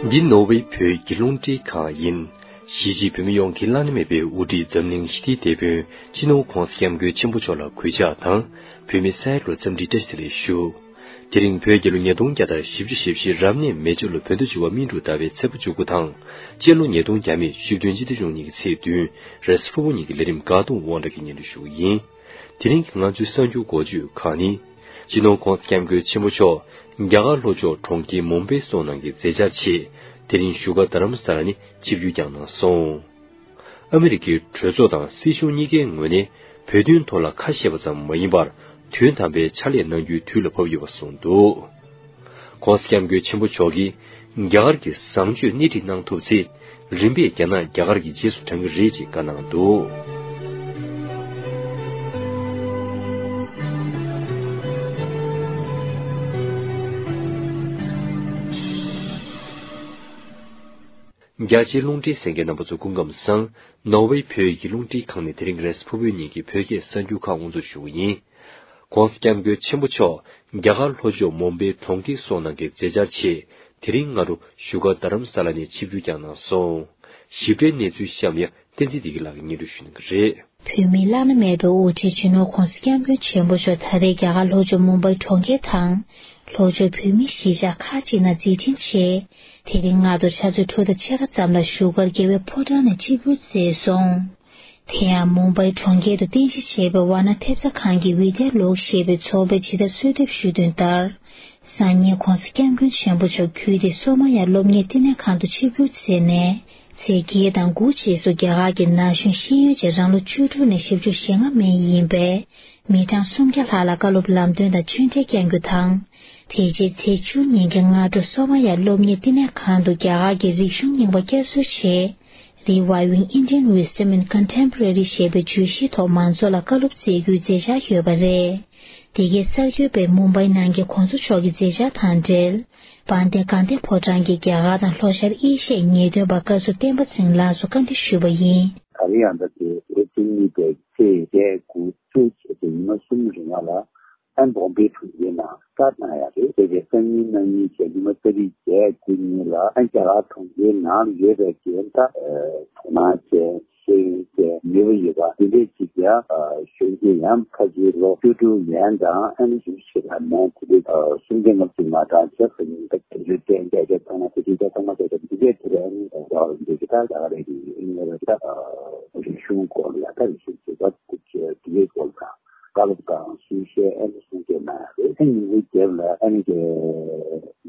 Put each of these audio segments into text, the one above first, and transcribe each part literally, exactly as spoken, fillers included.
འདི་ནོར་ཝེ་བོད་ཀྱི་རླུང་འཕྲིན་ཁང་ཡིན། གཞིས་བྱེས་བོད་མི་ཡོངས་ཀྱི་བླ་ན་མེད་པའི་དབུ་ཁྲིད་འཛམ་གླིང་ཞི་བདེའི་དེད་དཔོན་སྤྱི་ནོར་༧གོང་ས་༧སྐྱབས་མགོན་ཆེན་པོ་མཆོག་ལ་གུས་ཕྱག་དང་། བོད་མི་ས་ཡ་ལོ་འཚམས་འདྲི་བཀྲ་ཤིས་བདེ་ལེགས་ཞུ། དེ་རིང་བོད་རྒྱལ་ལོ་ཉིས་སྟོང་བརྒྱ་དང་བཞི་བཅུ་ཞེ་བཞི་རབ་གནས་མེ་བྱ་ལོ་བོད་ཟླ་བཅུ་པ་སྨིན་དྲུག་ཟླ་བའི་ཚེས་པ་བཅུ་དགུ་དང་། སྤྱི་ལོ་ཉིས་སྟོང་བརྒྱ་མེད་བཅུ་བདུན་སྤྱི་ཟླ་བཅུ་གཉིས་ཀྱི་ཚེས་བདུན། རེས་གཟའ་ཕུར་བུ་ཉིན་གྱི་ལས་རིམ་དགའ་སྟོན་དབང་གྲགས་ཀྱིས་སྙན་སྒྲོན་ཞུ་གི་ཡིན། དེ་རིང་གི་ང་ཚོའི་གསར་འགྱུར་འགོ་བརྗོད་ཁག་ནི། སྤྱི་ནོར་༧གོང་ས་༧སྐྱབས་མགོན་ཆེན་པོ་མཆོག་རྒྱ་གར་ལྷོ་ཕྱོགས་གྲོང་ཁྱེར་མུམ་བྷའི་སོགས་ནང་གི་མཛད་འཆར་ཆེད། དེ་རིང་བཞུགས་སྒར་རྡ་རམ་ས་ལ་ནས་ཆིབས་བསྒྱུར་བསྐྱངས་གནང་སོང་། ཨ་མི་རི་ཀའི་གྲོས་ཚོགས་དང་སྲིད་གཞུང་གཉིས་ཀའི་ངོས་ནས་བོད་དོན་ཐོག་ལ་ཁ་བཤད་པ་ཙམ་མ་ཡིན་པར། དོན་དམ་པའི་ཕྱག་ལས་གནང་རྒྱུའི་དུས་ལ་བབ་ཡོད་པ་གསུངས་འདུག། ༸གོང་ས་༸སྐྱབས་མགོན་ཆེན་པོ་མཆོག་གིས་རྒྱ་གར་གྱི་བཟང་སྤྱོད་སྣེ་ཁྲིད་གནང་ཐུབ་ཚེ། རིམ་པས་རྒྱ་ནག་རྒྱ་གར་གྱི་རྗེས་སུ་འབྲང་གི་རེད་ཅེས་བཀའ་གནང་འདུག། རྒྱ་ཆེའི་རླུང་འཕྲིན་གསན་མཁན་རྣམ་པ་ཚོ་སྐུ་ཁམས་བཟང་། ནོར་ཝེ་བོད་ཀྱི་རླུང་འཕྲིན་ཁང་ནས་དེ་རིང་རེས་གཟའ་ཕུར་བུའི་ཉིན་གྱི་བོད་སྐད་གསར་འགྱུར་ཁག་དབུ་འཛུགས་ཞུ་གི་ཡིན། ༸གོང་ས་༸སྐྱབས་མགོན་ཆེན་པོ་མཆོག་རྒྱ་གར་ལྷོ་ཕྱོགས་མུམ་བྷའི་གྲོང་ཁྱེར་སོགས་ནང་གི་མཛད་འཆར་ཆེད། དེ་རིང་སྔ་དྲོ་བཞུགས་སྒར་རྡ་རམ་ས་ལ་ནས་ཆིབས་བསྒྱུར་བསྐྱངས་གནང་སོང་། ཞིབ་ཕྲའི་གནས་ཚུལ་གཤམ་ཡང་བསྟན་འཛིན་བདེ་སྐྱིད་ལགས་ཀྱིས་སྙན་སྒྲོན་ཞུ་གནང་གི་རེད། བོད་མིའི་བླ་ན་མེད་པའི་དབུ་ཁྲིད་སྤྱི་ནོར་༸གོང་ས་༸སྐྱབས་མགོན་ཆེན་པོ་མཆོག་ད་རེས་རྒྱ་གར་ལྷོ་ཕྱོགས་མུམ་བྷའི་གྲོང་ཁྱེར་དང་། ལྷོ་ཕྱོགས་བོད་མིའི་གཞིས་ཆགས་ཁག་ཅིག་ནང་མཛད་འཕྲིན་ཆེད། དེ་རིང་སྔ་དྲོ་ཕྱག་ཚོད་དྲུག་དང་ཕྱེད་ཀ་ཙམ་ལ་བཞུགས་སྒར་རྒྱལ་བའི་ཕོ་བྲང་ནས་ཆིབས་བསྒྱུར་མཛད་སོང་། དེ་ཡང་མུམ་བྷའི་གྲོང་ཁྱེར་དུ་རྟེན་གཞི་བྱས་པའི་ཝཱ་ཎ་ཐེབས་རྩ་ཁང་གི་ཝི་དྷྱ་ལོག་ཞེས་པའི་ཚོགས་པས་ཇི་ལྟར་གསོལ་འདེབས་ཞུས་དོན་ལྟར། སང་ཉིན་༸གོང་ས་༸སྐྱབས་མགོན་ཆེན་པོ་མཆོག་རྒྱུད་སྡེ་སོ་མ་ཡ་སློབ་གཉེར་བསྟི་གནས་ཁང་དུ་ཆིབས་བསྒྱུར་མཛད་ནས། ཚེས་བརྒྱད་དང་དགུ་རྗེས་སུ་རྒྱ་གར་གྱི་ན་གཞོན་ཤེས་ཡོན་ཅན་རང་ལོ་བཅུ་དྲུག་ནས་བཞི་བཅུ་ཞེ་ལྔ་མན་ཡིན་པའི་མི་གྲངས་སུམ་བརྒྱ་ལྷག་ལ་བཀའ་སློབ་ལམ་སྟོན་དང་ཆོས་འབྲེལ་བསྐྱང་རྒྱུ་དང་། དེ་རྗེས་ཚེས་བཅུ་ཉིན་གྱི་སྔ་དྲོ་སོ་མ་ཡ་སློབ་གཉེར་བསྟི་གནས་ཁང་དུ་རྒྱ་གར་གྱི་རིག་གཞུང་རྙིང་པ་བསྐྱར་གསོའི་ཆེད། Reviving Indian Wisdom in Contemporary ཞེས་པའི་བརྗོད་གཞིའི་ཐོག་མང་ཚོགས་ལ་བཀའ་སློབ་སྩལ་རྒྱུའི་མཛད་འཆར་ཡོད་པ་རེད། དེ་གའི་གསར་འགོད་པས་མུམ་བྷའི་ནང་གི་གོང་ས་མཆོག་གི་མཛད་འཆར་དང་འབྲེལ། དཔལ་ལྡན་དགའ་ལྡན་ཕོ་བྲང་གི་རྒྱ་གར་དང་ལྷོ་ཤར་ཨེ་ཤི་ཡའི་ཉེས་དོན་པ་བཀའ་ཟུར་བསྟན་པ་ཚེ་རིང་ལགས་སུ་བཀའ་འདྲི་ཞུས་པ་ཡིན། ད་རེས་ཡང་ད་དེ་ལོ་བཅུ་གཉིས་པའི་ཚེས་བརྒྱད་དགུ་བཅུ་བྱས་ཏེ་ཉི་མ་གསུམ་རིང་ལ། ཨན་བོམ་པེ་གྲོང་ཁྱེར་ནང་བཀའ་གནང་ཡ་རེད། དེ་རྗེས་སང་ཉིན་གནངས་ཉིན་བྱས་ཉི་མ་ཏ་རིག་བརྒྱད་དགུ་ཉིན་ལ་ཨན་རྒྱ་གར་གྲོང་ཁྱེར་ནང་ལ་ཡོད་པའི་རྒན་དང་དོ་སྣང་ཅན་ཤེས་ཡོན་ཅན་ནུས་པ་ཡོད་པ་འདི་འདྲས་ཅིག་ཡང་གཞོན་སྐྱེས་ཡང་ཕལ་ཆེར་ལོ་བཅུ་དྲུག་ཡན་དང་ཨན་བཞི་བཅུ་ཞེ་ལྔ་མན་དེ་འདྲས་སུམ་སྟོང་ལྔ་བཅུ་ང་གྲངས་ཆ་ཟིན་པ་དེ་ཚོའི་རྟེན་བསྐྱར་བཅོས་གཏོང་མ་དེ་འདྲས་ཀྱི་ཐོག་མ་དེ་འདྲས་འདི་འདྲས་དེ་རིང་རྒྱ་གར་འདི་གི་ད་རྒྱ་གར་རེད་ཀྱི་ཨིན་ལ་རེད་ད་རིག་གཞུང་སྐོར་ལ་ཡང་ད་རིག་གཞུང་བྱེད་པ་དེ་འདྲས་སྐོར་དང་། བཀའ་སློབ་དང་གསུང་བཤད་ཨ་ནི་གསུང་བཤད་གནང་ཡ་རེད། ཨ་ནི་ཉིན་གུང་རྒྱབ་ལ་ཨ་ནི་གི་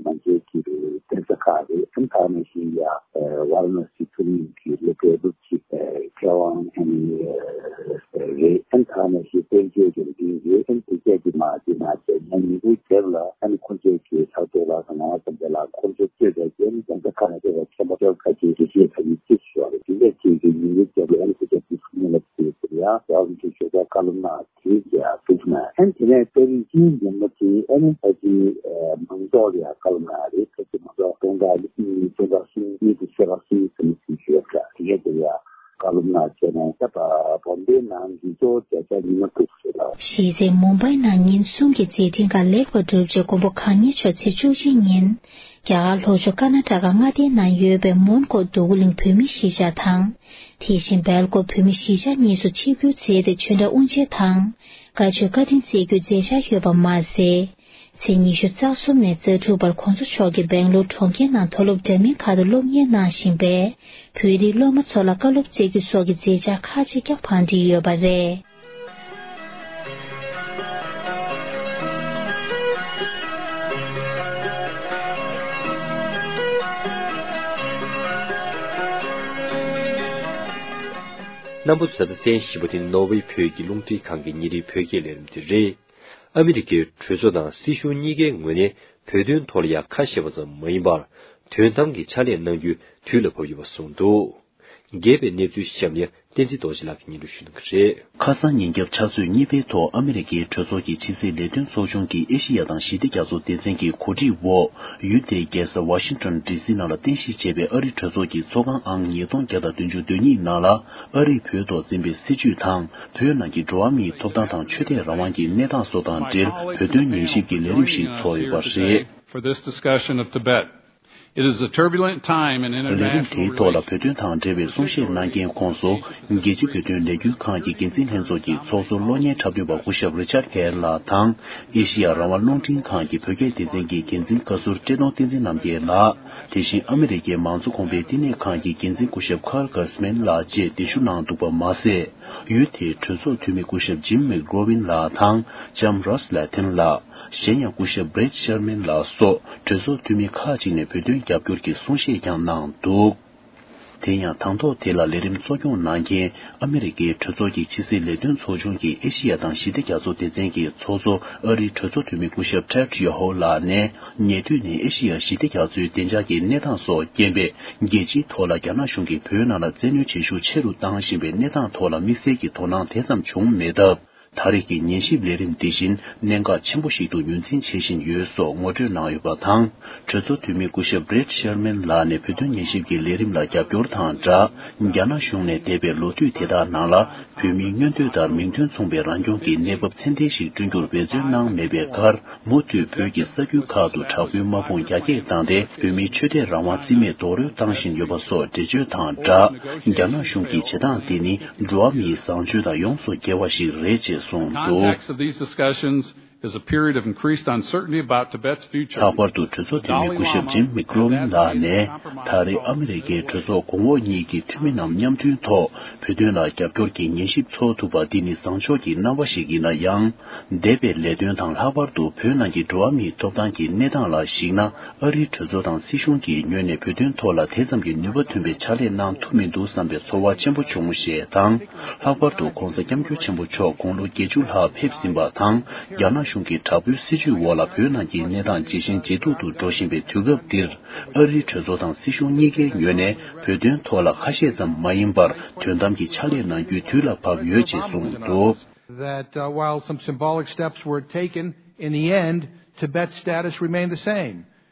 ང་ཚོའི་གི་གདན་ས་ཁག་རེད། ཨ་ནི་ད་ནང་བཞིན་ཡ་ཝཱ་ར་ཎ་སི་མཐོ་རིམ་གི་སློབ་གྲྭའི་སློབ་སྤྱི་མཁས་དབང་ཨ་ནི་རེད། ཨ་ནི་ད་ནང་བཞིན་དཔལ་འབྱོར་གྱི་འདི་རེད། ཨ་ནི་དེ་གས་ཀྱི་མ་དེ་མ་བྱས་ན་ཉིན་གུང་རྒྱབ་ལ་ཨ་ནི་ཁོང་ཚོའི་གི་ལྷག་ཏུ་ལ་ང་ཙམ་པ་ལ་ཁོང་ཚོ་གཙོས་པའི་གི་ཨ་ནི་གདན་ས་ཁག་ནས་སླེབས་པའི་མཁན་པ་སྐྱོར་ཁ་ཅིག་དགེ་བཤེས་ཁ་ཅིག་ཅིག་ཞུ་བ་རེད། དེ་འདྲ་ཅིག་གི་ཉིན་གུང་རྒྱབ་ལ་ཨ་ནི་ཁོང་ཚོ་དེ་ཚོ་ནས་ལ་དེ་ཟེར་ཡ་ཡག་ལུགས་ཀྱི་ཞོགས་པ་བཀའ་སློབ་གནང་། དེའི་རྗེས་ཨ་ཐུག་ན་ཨན་དེ་ནས་ཏ་རིག་བཅུའི་ཉིན་མོ་དེ་ཨ་ནི་ཕལ་ཆེར་མང་ཚོགས་ལ་ཡང་བཀའ་སློབ་གནང་ཡ་རེད། ཕལ་ཆེར་མང་ཚོགས་སྟོང་ཕྲག་གཉིས་སྟོང་ཕྲག་གསུམ་གཉིས་དེ་ཕྱེད་ཀ་གསུམ་ཙམ་ཞིག་ཡོད་འདྲ། དེ་གས་དེ་ལ་ཡང་བཀའ་སློབ་གནང་བྱས་ནས་ད་བོམ་བེ་ནང་གི་གཙོ་བོ་བརྒྱ་ཆ་ཉི་མ་དྲུག་རེད་ལ། གཞི་རྩའི་མུམ་བྷའི་ནང་ཉིན་གསུམ་གྱི་མཛད་འཕྲིན་ཁག་ལེགས་པར་གྲུབ་རྗེས་མགོན་པོ་གང་ཉིད་མཆོག་ཚེས་བཅུ་གཅིག་ཉིན་རྒྱ་གར་ལྷོ་ཕྱོགས་ཀར་ནཱ་ཊ་ཀ་མངའ་སྡེའི་ནང་ཡོད་པའི་མོན་གྷོ་འདོད་རྒུ་གླིང་བོད་མིའི་གཞིས་ཆགས་དང་། དེ་བཞིན་སྦེལ་ཀོབ་བོད་མིའི་གཞིས་ཆགས་གཉིས་སུ་ཆིབས་བསྒྱུར་མཛད་དེ་ཆོས་འབྲེལ་དབུ་འབྱེད་དང་བཀའ་ཆོས་བཀའ་དྲིན་སྩལ་རྒྱུའི་མཛད་འཆར་ཡོད་པ་མ་ཟད། ཚེས་ཉི་ཤུ་རྩ་གསུམ་ནས་རྩ་དྲུག་བར་གོང་ས་མཆོག་གིས་སྦེང་ལོར་གྲོང་ཁྱེར་ནང་མཐོ་སློབ་འདྲ་མིན་ཁག་ཏུ་སློབ་གཉེར་གནང་བཞིན་པའི་བོད་རིགས་སློབ་མ་ཚོ་ལ་བཀའ་སློབ་སྩལ་རྒྱུ་སོགས་ཀྱི་མཛད་འཆར་ཁག་ཅིག་ཀྱང་བང་བསྒྲིགས་ཡོད་པ་རེད། རྣམ་པ་ཚོ་ད་ལྟ་གསན་བཞིན་པ་དེ་ནོར་ཝེ་བོད་ཀྱི་རླུང་འཕྲིན་ཁང་གི་ཉིན་རེའི་བོད་སྐད་ལས་རིམ་དེ་རེད། ཨ་མི་རི་ཀའི་གྲོས་ཚོགས་དང་སྲིད་གཞུང་གཉིས་ཀའི་ངོས་ནས་བོད་དོན་ཐོག་ལ་ཡང་ཁ་བཤད་པ་ཙམ་མ་ཡིན་པར། དོན་དམ་གྱི་ཕྱག་ལས་གནང་རྒྱུའི་དུས་ལ་བབ་ཡོད་པ་གསུངས་འདུག། རྒྱས་པའི་གནས་ཚུལ་གཤམ་ནས་བསྟན་འཛིན་རྡོ་རྗེ་ལགས་ཀྱིས་སྙན་སྒྲོན་ཞུ་གནང་གི་རེད། ཁ་སང་ཉིན་རྒྱབ་ཕྱག་ཚོད་གཉིས་པའི་ཐོག་ཨ་མི་རི་ཀའི་གྲོས་ཚོགས་ཀྱི་ཕྱི་སྲིད་ལས་དོན་ཚོགས་ཆུང་གི་ཨེ་ཤེ་ཡ་དང་ཞི་བདེ་རྒྱ་མཚོ་སྡེ་ཚན་གྱི་གོ་སྒྲིག་འོག་ཡུལ་དེའི་རྒྱལ་ས་ཝ་ཤིང་ཊོན་ཌི་སི་ནང་ལ་རྟེན་གཞི་བྱས་པའི་ཨ་རིའི་གྲོས་ཚོགས་ཀྱི་ཚོགས་ཁང་ཨང་ཉིས་སྟོང་བརྒྱ་དང་བདུན་ཅུ་དོན་གཉིས་ནང་ལ་ཨ་རིས་བོད་ཐོག་འཛིན་པའི་སྲིད་བྱུས་དང་བོད་ནང་གི་འགྲོ་བ་མིའི་ཐོབ་ཐང་དང་ཆོས་དད་རང་དབང་གི་གནས་སྟངས་སོགས་དང་འབྲེལ་བོད་དོན་ཉན་ཞིབ་ཀྱི་ལས་རིམ་ཞིག་ཚོགས་ཡོད་པ་རེད། For this discussion of Tibet. It is a turbulent time in ལས་རིམ་དེའི་ཐོག་ལ་བོད་དོན་དང་འབྲེལ་བའི་གསུང་བཤད་གནང་མཁན་ཁོངས་སུ། རྒྱལ་སྤྱི་བོད་དོན་ལས་འགུལ་ཁང་གི་འགན་འཛིན་ལྷན་ཚོགས་ཀྱི་ཚོགས་གཙོ་གློག་བརྙན་འཁྲབ་སྟོན་པ་སྐུ་ཞབས་རི་ཆར་གྷེར་ལགས་དང་། ཨེ་ཤི་ཡ་རང་དབང་རླུང་འཕྲིན་ཁང་གི་བོད་སྐད་སྡེ་ཚན་གྱི་འགན་འཛིན་བཀའ་ཟུར་བཀྲས་མཐོང་བསྟན་འཛིན་རྣམ་རྒྱལ་ལགས། དེ་བཞིན་ཨ་མི་རི་ཀའི་མང་གཙོ་གོང་འཕེལ་བསྟི་གནས་ཁང་གི་འགན་འཛིན་སྐུ་ཞབས་ཁར་གྷ་སི་མན་ལགས་བཅས་གདན་ཞུ་གནང་འདུག་པ་མ་ཟད། ཡུལ་དེའི་གྲོས་ཚོགས་འཐུས་མི་སྐུ་ཞབས་ཇིམ་མེག་རོ་ཝིན་ལགས་དང་ལྕམ་རོས་ལེ་ཐིན་ལགས། གཞན་ཡང་སྐུ་ཞབས་བྷྲེད་ཤར་མན་ལགས་སོགས་གྲོས་ཚོགས་འཐུས་མི་ཁག་ཅིག་ནས་བོད་དོན་རྒྱབ་སྐྱོར་གྱི་གསུང་བཤད་ཀྱང་གནང་འདུག་དེ་ཡང་དང་ཐོག་དེ་ལ་ལས་རིམ་གཙོ་སྐྱོང་གནང་མཁན་ཨ་མི་རི་ཀའི་གྲོས་ཚོགས་ཀྱི་ཕྱི་སྲིད་ལས་དོན་ཚོགས་ཆུང་གི་ཨེ་ཤི་ཡ་དང་ཞི་བདེ་རྒྱ་མཚོ་སྡེ་ཚན་གྱི་ཚོགས་གཙོ་ཨ་རིའི་གྲོས་ཚོགས་འཐུས་མི་སྐུ་ཞབས་ཊེཌ་ཡོ་ཧོ་ལགས་ནས། ཉེ་དུས་ནས་ཨེ་ཤི་ཡ་ཞི་བདེ་རྒྱ་མཚོའི་བདེ་འཇགས་ཀྱི་གནས་སྟངས་སོགས་རྐྱེན་པས། རྒྱལ་སྤྱིའི་ཐོག་ལ་རྒྱ་ནག་གཞུང་གིས་བོད་ནང་ལ་བཙན་གནོན་བྱེད་ཤུགས་ཆེ་རུ་བཏང་བཞིན་པའི་གནས་སྟངས་ཐོག་ལ་དམིགས་བསལ་གྱི་དོ་སྣང་དེ་ཙམ་བྱུང་མེད་སྟབས། ད་རེས་ཀྱི་ཉན་ཞིབ་ལས་རིམ་འདི་བཞིན་གནད་འགག་ཆེན་པོ་ཞིག་ཏུ་ངོས་འཛིན་བྱེད་བཞིན་ཡོད་སོགས་ངོ་སྤྲོད་གནང་ཡོད་པ་དང་། གྲོས་ཚོགས་འཐུས་མི་སྐུ་ཞབས་བྷྲེད་ཤར་མན་ལགས་ནས་བོད་དོན་ཉན་ཞིབ་ཀྱི་ལས་རིམ་ལ་རྒྱབ་སྐྱོར་དང་སྦྲགས། རྒྱ་ནག་གཞུང་ནས་འདས་པའི་ལོ་དུས་དེ་དག་ནང་ལ་བོད་མིའི་མངོན་འདོད་ལྟར་མིང་དོན་མཚུངས་པའི་རང་སྐྱོང་གི་གནས་བབ་ཚད་ལྡན་ཞིག་བསྐྲུན་རྒྱུར་འབད་བརྩོན་གནང་མེད་པའི་ཁར། མུ་མཐུད་བོད་ཀྱི་ས་ཁུལ་ཁག་ཏུ་དྲག་པོའི་དམག་དཔུང་རྒྱ་སྐྱེད་བཏང་སྟེ། བོད་མིའི་ཆོས་དད་རང་དབང་རྩིས་མེད་རྡོག་རོལ་བཏང་བཞིན་ཡོད་པ་སོགས་འགྲེལ་བརྗོད་དང་སྦྲགས། རྒྱ་ནག་གཞུང་གི་བྱེད་སྟངས་འདི་ནི་འགྲོ་བ་མིའི་བཟང་སྤྱོད་དང་ཡོངས་སུ་འགལ་བ་ཞིག་རེད་ཅེས་གསུངས་འདུག Context of these discussions is a period of increased uncertainty about Tibet's future. ལྷག་པར་དུ་གྲོས་ཚོགས་འཐུས་མི་སྐུ་ཞབས་ཇིམ་མིག་རོ་ཝིན་ལགས་ནས། ད་རེས་ཨ་མི་རི་ཀའི་གྲོས་ཚོགས་གོང་འོག་གཉིས་ཀྱི་འཐུས་མི་རྣམས་མཉམ་མཐུན་ཐོག་བོད་དོན་ལ་རྒྱབ་སྐྱོར་གྱི་ཉན་ཞིབ་འཚོགས་ཐུབ་པ་འདི་ནི་བཟང་ཕྱོགས་ཀྱི་རྣམ་པ་ཞིག་ཡིན་ན་ཡང་། འདས་པའི་ལས་དོན་དང་། ལྷག་པར་དུ་བོད་ནང་གི་འགྲོ་བ་མིའི་ཐོབ་ཐང་གི་གནས་སྟངས་ལ་གཞིགས་ན། ཨ་རིའི་གྲོས་ཚོགས་དང་སྲིད་གཞུང་གི་ངོས་ནས་བོད་དོན་ཐོག་ལ་དེ་ཙམ་གྱི་ནུས་པ་ཐོན་པའི་ཕྱག་ལས་གནང་ཐུབ་མི་འདུག་བསམ་པའི་ཚོར་བ་ཆེན་པོ་བྱུང་ཞེས་དང་། ལྷག་པར་དུ་༧གོང་ས་༧སྐྱབས་མགོན་ཆེན་པོ་མཆོག་དགུང་ལོ་བརྒྱད་ཅུ་ལྷག་ཕེབས་ཟིན་པ་དང་། རྒྱ་ནག་གཞུང་གི་དྲག་པོའི་སྲིད་བྱུས་འོག་ལ་བོད་ནང་གི་གནས་སྟངས་ཇེ་ཞན་ཇེ་སྡུག་ཏུ་འགྲོ་བཞིན་པའི་དུས་སྐབས་འདིར། ཨ་རིའི་གྲོས་ཚོགས་དང་སྲིད་གཞུང་གཉིས་ཀའི་ངོས་ནས་བོད་དོན་ཐོག་ལ་ཁ་ཤས་ཙམ་མ་ཡིན་པར། དོན་དམ་གྱི་ཕྱག་ལས་གནང་རྒྱུའི་དུས་ལ་བབ་ཡོད་ཅེས་གསུངས་འདུག That, uh, while some symbolic steps were taken, in the end, Tibet's status remained the same.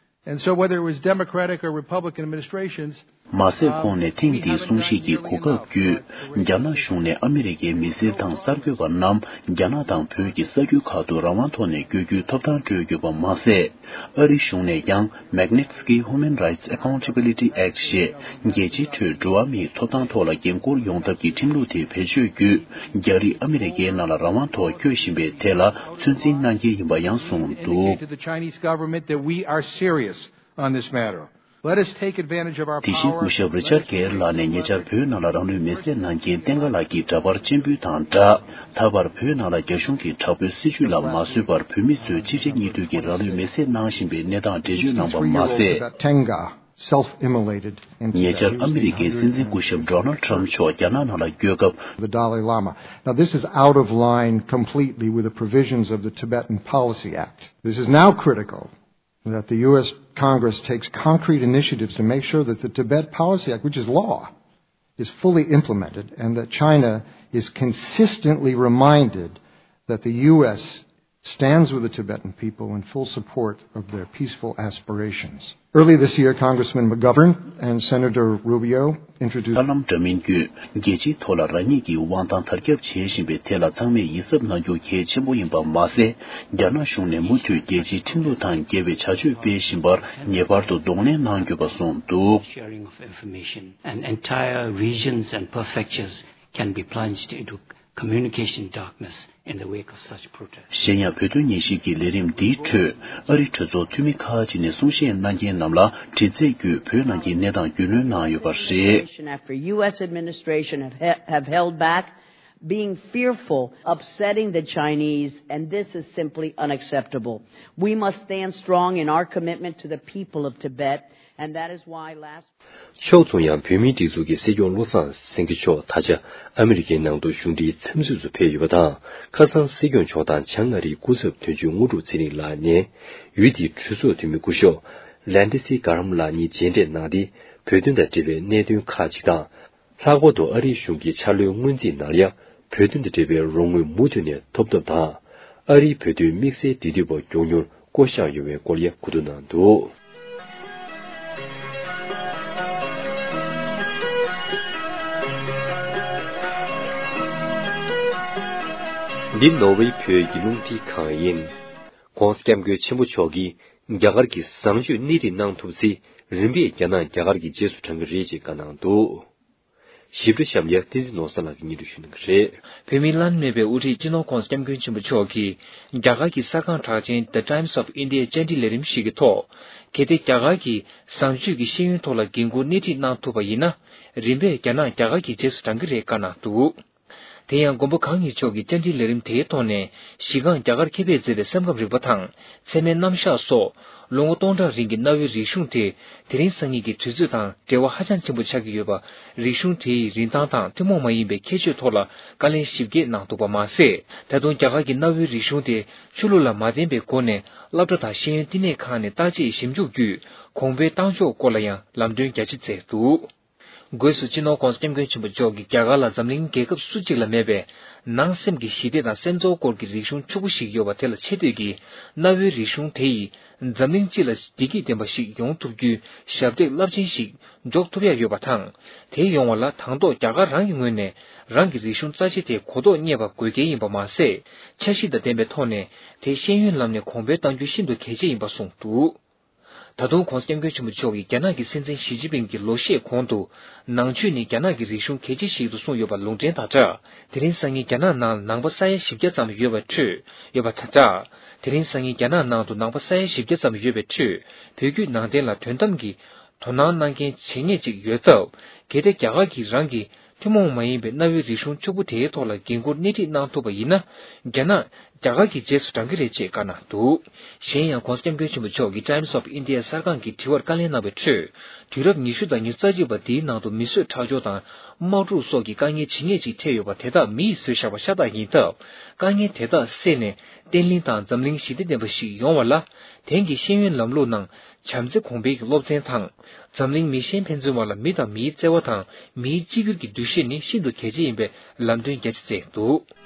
And so whether it was Democratic or Republican administrations, མ་ཟད། ཁོང་ནས་ཐེངས་འདིའི་གསུང་བཤད་ཀྱི་གོ་སྐབས་བརྒྱུད། རྒྱ་ནག་གཞུང་ནས་ཨ་མི་རི་ཀའི་མི་སེར་དང་གསར་འགོད་པ་རྣམས་རྒྱ་ནག་དང་བོད་ཀྱི་ས་ཁུལ་ཁག་ཏུ་རང་དབང་ཐོག་ནས་བསྐྱོད་རྒྱུའི་ཐོབ་ཐང་སྤྲོད་ཡོད་པ་མ་ཟད། ཨ་རི་གཞུང་ནས་ཀྱང་Magnitsky Human Rights Accountability Act ཞེས་རྒྱལ་སྤྱིའི་ཁྲོད་འགྲོ་བ་མིའི་ཐོབ་ཐང་ཐོག་ལ་འགན་འཁུར་ཡོང་ཐབས་ཀྱི་ཁྲིམས་ལུགས་དེ་བེད་སྤྱོད་བརྒྱུད། རྒྱ་རིགས་ཨ་མི་རི་ཀའི་ནང་ལ་རང་དབང་ཐོག་བསྐྱོད་བཞིན་པའི་ཐད་ལ་ཚོད་འཛིན་གནང་གལ་ཡིན་པ་ཡང་གསུངས་འདུག Indicate to the Chinese government that we are serious on this matter. Let us take advantage of our དེ་བཞིན་སྐུ་power. ཞབས་རི་ཆར་གྷེར་ལགས་ནས་ཉེ་ཆར་བོད་ནང་ལ་རང་ལུས་མེར་སྲེག་གནང་མཁན་བསྟན་དགའ་ལགས་ཀྱི་འདྲ་པར་སྤྱན་འབུལ་དང་སྦྲགས། ད་བར་བོད་ནང་ལ་རྒྱ་གཞུང་གིས་དྲག་པོའི་སྲིད་བྱུས་ལ་མ་བཟོད་པར་བོད་མི་ཚོས་གཅིག་རྗེས་གཉིས་མཐུད་ཀྱིས་རང་ལུས་མེར་སྲེག་གནང་བཞིན་པའི་གནས་སྟངས་འགྲེལ་བརྗོད་གནང་པ་མ་ཟད། About Tenga self-immolated in Tibet. ཉེ་ཆར་ཨ་མི་རི་ཀའི་སྲིད་འཛིན་སྐུ་ཞབས་Donald Trump མཆོག་རྒྱ་ནག་ནང་ལ་བསྐྱོད་སྐབས། The Dalai Lama. Now, this is out of line completely with the provisions of the Tibetan Policy Act. This is now critical that the U S Congress takes concrete initiatives to make sure that the Tibet Policy Act, which is law, is fully implemented, and that China is consistently reminded that the U S stands with the Tibetan people in full support of their peaceful aspirations. Early this year, Congressman McGovern and Senator Rubio introduced ཧ་ལམ་འདྲ་མིན་བརྒྱུད་རྒྱལ་སྤྱིའི་ཐོག་ལ་རང་ཉིད་ཀྱི་དབང་ཐང་དར་ཁྱབ་བྱེད་བཞིན་པའི་ཐད་ལ་ཚང་མས་ཡིད་གཟབ་གནང་རྒྱུ་གལ་ཆེན་པོ་ཡིན་པ་མ་ཟད། རྒྱ་ནག་གཞུང་ནས་མུ་མཐུད་རྒྱལ་སྤྱིའི་ཁྲིམས་ལུགས་དང་འགལ་བའི་བྱ་སྤྱོད་སྤེལ་བཞིན་པར་ངེས་པར་དུ་གདོང་ལེན་གནང་དགོས་པ་གསུངས་འདུག Sharing of information, and entire regions and prefectures can be plunged into communication darkness in the wake of such protests. གཞན་ཡང་བོད་དོན་ཉན་ཞིབ་ཀྱི་ལས་རིམ་འདིའི་ཁྲོད་ཨ་རིའི་གྲོས་ཚོགས་འཐུས་མི་ཁག་ཅིག་ནས་གསུང་བཤད་གནང་མཁན་རྣམས་ལ་དྲི་རྩད་བརྒྱུད་བོད་ནང་གི་གནས་སྟངས་རྒྱུས་ལོན་གནང་ཡོད་པ་རེད། After U S administration have, he- have held back, being fearful, upsetting the Chinese, and this is simply unacceptable. We must stand strong in our commitment to the people of Tibet, and that is why last ཕྱོགས་མཚུངས་ཡང་བོད་མིའི་སྒྲིག་འཛུགས་ཀྱི་སྲིད་སྐྱོང་བློ་བཟང་སེང་གེ་མཆོག་ད་ཆ་ཨ་མི་རི་ཀའི་ནང་དུ་གཞུང་འབྲེལ་འཚམས་གཟིགས་སུ་ཕེབས་ཡོད་པ་དང་། ཁ་སང་སྲིད་སྐྱོང་མཆོག་དང་བྱང་ཨ་རིའི་སྐུ་ཚབ་དོན་གཅོད་དངོས་གྲུབ་ཚེ་རིང་ལགས་ནས་ཡུལ་དེའི་གྲོས་ཚོགས་འཐུས་མི་སྐུ་ཞབས་ལན་ཌི་སི་གྷ་རམ་ལགས་གཉིས་མཇལ་འཕྲད་གནང་སྟེ། བོད་དོན་དང་འབྲེལ་བའི་གནད་དོན་ཁག་ཅིག་དང་། ལྷག་པར་དུ་ཨ་རིའི་གཞུང་གི་འཆར་གློའི་སྔོན་རྩིས་ནང་ལ་ཡང་བོད་དོན་དང་འབྲེལ་བའི་རོགས་དངུལ་མུ་མཐུད་ནས་ཐོབ་ཐབས་དང་། ཨ་རིའི་བོད་དོན་དམིགས་བསལ་འབྲེལ་མཐུད་པ་མགྱོགས་མྱུར་བསྐོ་གཞག་ཡོང་བའི་སྐོར་ཡང་གོ་བསྡུར་གནང་འདུག་འདི་ནོར་ཝེ་བོད་ཀྱི་རླུང་འཕྲིན་ཁང་ཡིན། ༸གོང་ས་༸སྐྱབས་མགོན་ཆེན་པོ་མཆོག་གིས་རྒྱ་གར་གྱི་བཟང་སྤྱོད་སྣེ་ཁྲིད་གནང་ཐུབ་ཚེ། རིམ་པས་རྒྱ་ནག་རྒྱ་གར་གྱི་རྗེས་སུ་འབྲང་གི་རེད་ཅེས་བཀའ་གནང་འདུག། ཞིབ་ཕྲ་གཤམ་ལ་བསྟན་འཛིན་ནོར་བཟང་ལགས་ཀྱིས་སྙན་སྒྲོན་ཞུ་གནང་གི་རེད། བོད་མིའི་བླ་ན་མེད་པའི་དབུ་ཁྲིད་སྤྱི་ནོར་༧གོང་ས་༧སྐྱབས་མགོན་ཆེན་པོ་མཆོག་གིས་རྒྱ་གར་གྱི་གསར་ཁང་གྲགས་ཅན་The Times of India་བཅར་འདྲི་ལས་རིམ་ཞིག་གི་ཐོག། གལ་ཏེ་རྒྱ་གར་གྱིས་བཟང་སྤྱོད་ཀྱི་ཤེས་ཡོན་ཐོག་ལ་འགན་འཁུར་སྣེ་ཁྲིད་གནང་ཐུབ་པ་ཡིན་ན། རིམ་པས་རྒྱ་ནག་རྒྱ་གར་གྱི་རྗེས་སུ་འབྲང་གི་རེད་བཀའ་གནང་འདུག། དེ་ཡང་མགོན་པོ་གང་ཉིད་མཆོག་གིས་བཅར་འདྲིའི་ལས་རིམ་དེའི་ཐོག་ནས་གཞི་རྐང་རྒྱ་གར་མཁས་པས་མཛད་པའི་སེམས་ཁམས་རིག་པ་དང་ཚད་མའི་རྣམ་གཞག་སོགས་ལོ་ངོ་སྟོང་ཕྲག་རིང་གི་གནའ་བོའི་རིག་གཞུང་དེ་དེ་རིང་སང་ཉིན་གྱི་དུས་ཚོད་དང་འབྲེལ་བ་ཧ་ཅང་ཆེན་པོ་ཆགས་ཀྱི་ཡོད་པ། རིག་གཞུང་དེ་ཡི་རིན་ཐང་དང་ཐུན་མོང་མ་ཡིན་པའི་ཁྱད་ཆོས་ཐོག་ལ་བཀའ་ལན་ཞིབ་རྒྱས་གནང་འདུག་པ་མ་ཟད། ད་དུང་རྒྱ་གར་གྱི་གནའ་བོའི་རིག་གཞུང་དེ་ཆོས་ལུགས་ལ་མ་བརྟེན་པའི་སྒོ་ནས་སློབ་གྲྭ་དང་ཤེས་ཡོན་བསྟི་གནས་ཁང་ནས་བརྟག་དཔྱད་ཞིབ་འཇུག་བརྒྱུད་གོང་འཕེལ་བཏང་ཕྱོགས་སྐོར་ལ་ཡང་ལམ་སྟོན་རྒྱ་ཆེ་མཛད་འདུག། སྒོས་སུ་སྤྱི་ནོར་༧གོང་ས་༧སྐྱབས་མགོན་ཆེན་པོ་མཆོག་གིས་རྒྱ་གར་ལ་འཛམ་གླིང་རྒྱལ་ཁབ་སུ་གཅིག་ལ་མེད་པའི་ནང་སེམས་ཀྱི་ཞི་བདེ་དང་སེམས་ཚོར་སྐོར་གྱི་རིག་གཞུང་ཕྱུག་པོ་ཞིག་ཡོད་པ་དེ་ལ་ཆེ་བསྟོད་ཀྱིས། གནའ་བོའི་རིག་གཞུང་དེ་ཡིས་འཛམ་གླིང་སྤྱི་ལ་བདེ་སྐྱིད་ལྡན་པ་ཞིག་ཡོང་ཐུབ་རྒྱུའི་ཞབས་འདེགས་རླབས་ཆེན་ཞིག་འཇོག་ཐུབ་ཡ་ཡོད་པ་དང་། དེ་ཡོང་བ་ལ་དང་ཐོག་རྒྱ་གར་རང་གི་ངོས་ནས་རང་གི་རིག་གཞུང་རྩ་ཆེ་དེ་གོ་རྟོགས་རྙེད་པ་དགོས་གལ་ཡིན་པ་མ་ཟད། འཆར་གཞི་དང་ལྡན་པའི་ཐོག་ནས་དེ་ཤེས་ཡོན་ལམ་ནས་གོང་འཕེལ་གཏང་རྒྱུ་ཤིན་ཏུ་གལ་ཆེ་ཡིན་པ་གསུངས་འདུག། ད་དུང་༧གོང་ས་༧སྐྱབས་མགོན་ཆེན་པོ་མཆོག་གིས་རྒྱ་ནག་གི་སྲིད་འཛིན་ཞི་ཅིན་ཕིང་གིས་ལོ་ཤས་གོང་དུ་ནང་ཆོས་ནི་རྒྱ་ནག་གི་རིག་གཞུང་གལ་ཆེ་ཞིག་ཏུ་གསུངས་ཡོད་པ་ལུང་འདྲེན་དང་སྦྲགས། དེ་རིང་སང་ཉིན་རྒྱ་ནག་ནང་ནང་པ་ས་ཡ་བཞི་བརྒྱ་ཙམ་ཡོད་པའི་ཁྲོད་ཡོད་པ་དང་སྦྲགས། དེ་རིང་སང་ཉིན་རྒྱ་ནག་ནང་དུ་ནང་པ་ས་ཡ་བཞི་བརྒྱ་ཙམ་ཡོད་པའི་ཁྲོད་བོད་བརྒྱུད་ནང་བསྟན་ལ་དོན་དམ་གྱི་དོ་སྣང་གནང་མཁན་ཇེ་ཉུང་ཅིག་ཡོད་སྟབས། གལ་ཏེ་རྒྱ་གར་གྱིས་རང་གི་ཐུན་མོང་མ་ཡིན་པའི་གནའ་བོའི་རིག་གཞུང་ཕྱུག་པོ་དེའི་ཐོག་ལ་འགན་འཁུར་སྣེ་ཁྲིད་གནང་ཐུབ་པ་ཡིན་ན། རྒྱ་ནག་རྒྱ་གར་གྱི་རྗེས་སུ་འབྲང་གི་རེད་ཅེས་བཀའ་གནང་འདུག། གཞན་ཡང་༧གོང་ས་༧སྐྱབས་མགོན་ཆེན་པོ་མཆོག་གིས་Times of India་གསར་ཁང་གི་དྲི་བར་བཀའ་ལན་གནང་བའི་ཁྲོད། དུས་རབས་ཉི་ཤུ་དང་ཉི་ཤུ་རྩ་གཅིག་པ་འདིའི་ནང་དུ་མི་གསོད་ཁྲག་སྦྱོར་དང་དམག་འཁྲུག་སོགས་ཀྱི་དཀའ་ངལ་ཇི་སྙེད་ཅིག་འཕྲད་ཡོད་པ་དེ་དག་མི་ཡིས་བཟོས་བཞག་པ་ཤ་སྟག་ཡིན་སྟབས། དཀའ་ངལ་དེ་དག་སེལ་ནས་བརྟན་ལྷིང་དང་འཛམ་གླིང་ཞི་བདེ་ལྡན་པ་ཞིག་ཡོང་བ་ལ། དེང་གི་ཤེས་ཡོན་ལམ་ལུགས་ནང་བྱམས་བརྩེ་གོང་འཕེལ་གྱི་སློབ་ཚན་དང་། འཛམ་གླིང་མི་ཤན་ཕན་ཚུན་བར་ལ་མི་དང་མིའི་བརྩེ་བ་དང་མིའི་གཅིག་གྱུར་གྱི་འདུ་ཤེས་ནི་ཤིན་ཏུ་གལ་ཆེ་ཡིན་པའི་ལམ་སྟོན་རྒྱ་ཆེ་མཛད་འདུག།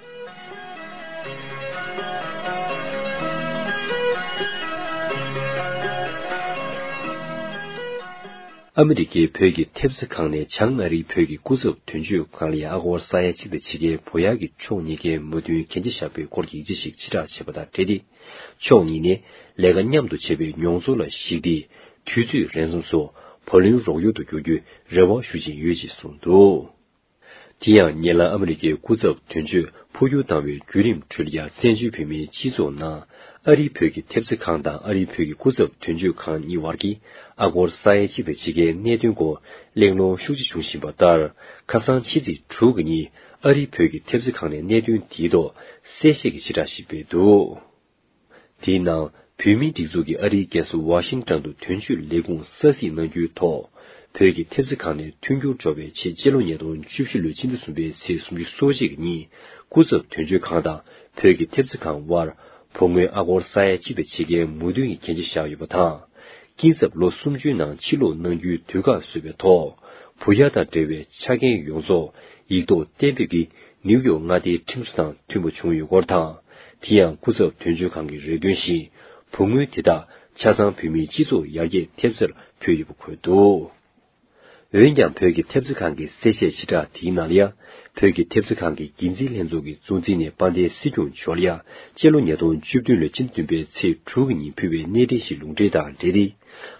ཨ་མི་རི་ཀའི་བོད་ཀྱི་ཐེབས་རྩ་ཁང་ནས་བྱང་ཨ་རིའི་བོད་ཀྱི་སྐུ་ཚབ་དོན་གཅོད་ཁང་ལ་ཡ་ཨ་སྒོར་ས་ཡ་གཅིག་དང་ཕྱེད་ཀའི་བུ་གཡར་གྱི་ཕྱོགས་གཉིས་ཀའི་མོས་མཐུན་གན་རྒྱ་བཞག་པའི་སྐོར་གྱི་ཡིག་ཆ་ཞིག་ཕྱིར་བསྒྲགས་བྱས་པ་དང་འབྲེལ་ཏེ། ཕྱོགས་གཉིས་ནས་ལས་ཀ་མཉམ་དུ་བྱེད་པའི་མྱོང་ཚོར་ལ་གཞིགས་ཏེ། དུས་ཚོད་རན་སོང་སོགས་བུ་ལོན་རོགས་སྐྱོར་དུ་བསྒྱུར་རྒྱུའི་རེ་བ་ཞུ་བཞིན་ཡོད་ཅེས་གསུངས་འདུག། དེ་ཡང་ཉེ་ལམ་ཨ་མི་རི་ཀའི་སྐུ་ཚབ་དོན་གཅོད་འཕོ་འགྱུར་བཏང་བའི་བརྒྱུད་རིམ་ཁྲོད་ལ་ཡ་བཙན་བྱོལ་བོད་མིའི་སྤྱི་ཚོགས་ནང་ཨ་རིའི་བོད་ཀྱི་ཐེབས་རྩ་ཁང་དང་ཨ་རིའི་བོད་ཀྱི་སྐུ་ཚབ་དོན་གཅོད་ཁང་གཉིས་བར་གྱི་ཨ་སྒོར་ས་ཡ་གཅིག་དང་ཕྱེད་ཀའི་གནད་དོན་སྐོར་གླེང་སློང་ཤུགས་ཆེ་བྱུང་བཞིན་པ་ལྟར། ཁ་སང་ཕྱི་ཚེས་དྲུག་གི་ཉིན་ཨ་རིའི་བོད་ཀྱི་ཐེབས་རྩ་ཁང་ནས་གནད་དོན་དེའི་ཐོག་གསལ་བཤད་ཀྱི་ཕྱིར་བསྒྲགས་ཤིག་སྤེལ་འདུག། དེའི་ནང་བོད་མིའི་སྒྲིག་འཛུགས་ཀྱི་ཨ་རིའི་རྒྱལ་ས་ཝ་ཤིང་ཊོན་དུ་དོན་གཅོད་ལས་ཁུངས་ས་ཚིགས་གནང་རྒྱུའི་ཐོག་བོད་ཀྱི་ཐེབས་རྩ་ཁང་ནས་མཐུན་འགྱུར་འགྲོ་བའི་ཆེད་སྤྱི་ལོ་ཉིས་སྟོང་བཅུ་བཞི་ལོའི་སྤྱི་ཟླ་གསུམ་པའི་ཚེས་སུམ་ཅུ་སོ་གཅིག་གི་ཉིན་སྐུ་ཚབ་དོན་གཅོད་ཁང་དང་བོད་ཀྱི་ཐེབས་རྩ་ཁང་དབར་བུ་དངུལ་ཨ་སྒོར་ས་ཡ་གཅིག་དང་ཕྱེད་ཀའི་མོས་མཐུན་གྱི་གན་རྒྱ་བཞག་ཡོད་པ་དང་། སྐྱིན་ཚབ་ལོ་སུམ་ཅུའི་ནང་ཕྱིར་སློག་གནང་རྒྱུའི་དུས་བཀག་བཟོས་པའི་ཐོག་བུ་གཡར་དང་འབྲེལ་བའི་ཆ་རྐྱེན་ཡོངས་རྫོགས་ཡིག་ཐོག་གཏན་འབེབས་ཀྱིས་ནིའུ་ཡོག་མངའ་སྡེའི་ཁྲིམས་སྲོལ་དང་མཐུན་པ་བྱུང་ཡོད་སྐོར་དང་། དེ་ཡང་སྐུ་ཚབ་དོན་གཅོད་ཁང་གི་རེ་འདུན་བཞིན་བུ་དངུལ་དེ་དག་ཆ་ཚང་བོད་མིའི་སྤྱི་ཚོགས་ཡར་རྒྱས་ཐེབས་རྩར་ཕུལ་ཡོད་པ་འཁོད་འདུག། འོན་ཀྱང་བོད་ཀྱི་ཐེབས་རྩ་ཁང་གི་གསལ་བཤད་ཕྱིར་བསྒྲགས་དེའི་ནང་ལ་ཡང་། བོད་ཀྱི་ཐེབས་རྩ་ཁང་གི་འགན་འཛིན་ལྷན་ཚོགས་ཀྱི་གཙོ་འཛིན་ནས་དཔལ་ལྡན་སྲིད་སྐྱོང་མཆོག་ལ་ཡང་སྤྱི་ལོ་ཉིས་སྟོང་བཅུ་བདུན་ལོའི་སྤྱི་ཟླ་བདུན་པའི་ཚེས་དྲུག་གི་ཉིན་ཕུལ་བའི་གནས་འབྲེལ་ཞིག་ལུང་འདྲེན་དང་འབྲེལ་ཏེ།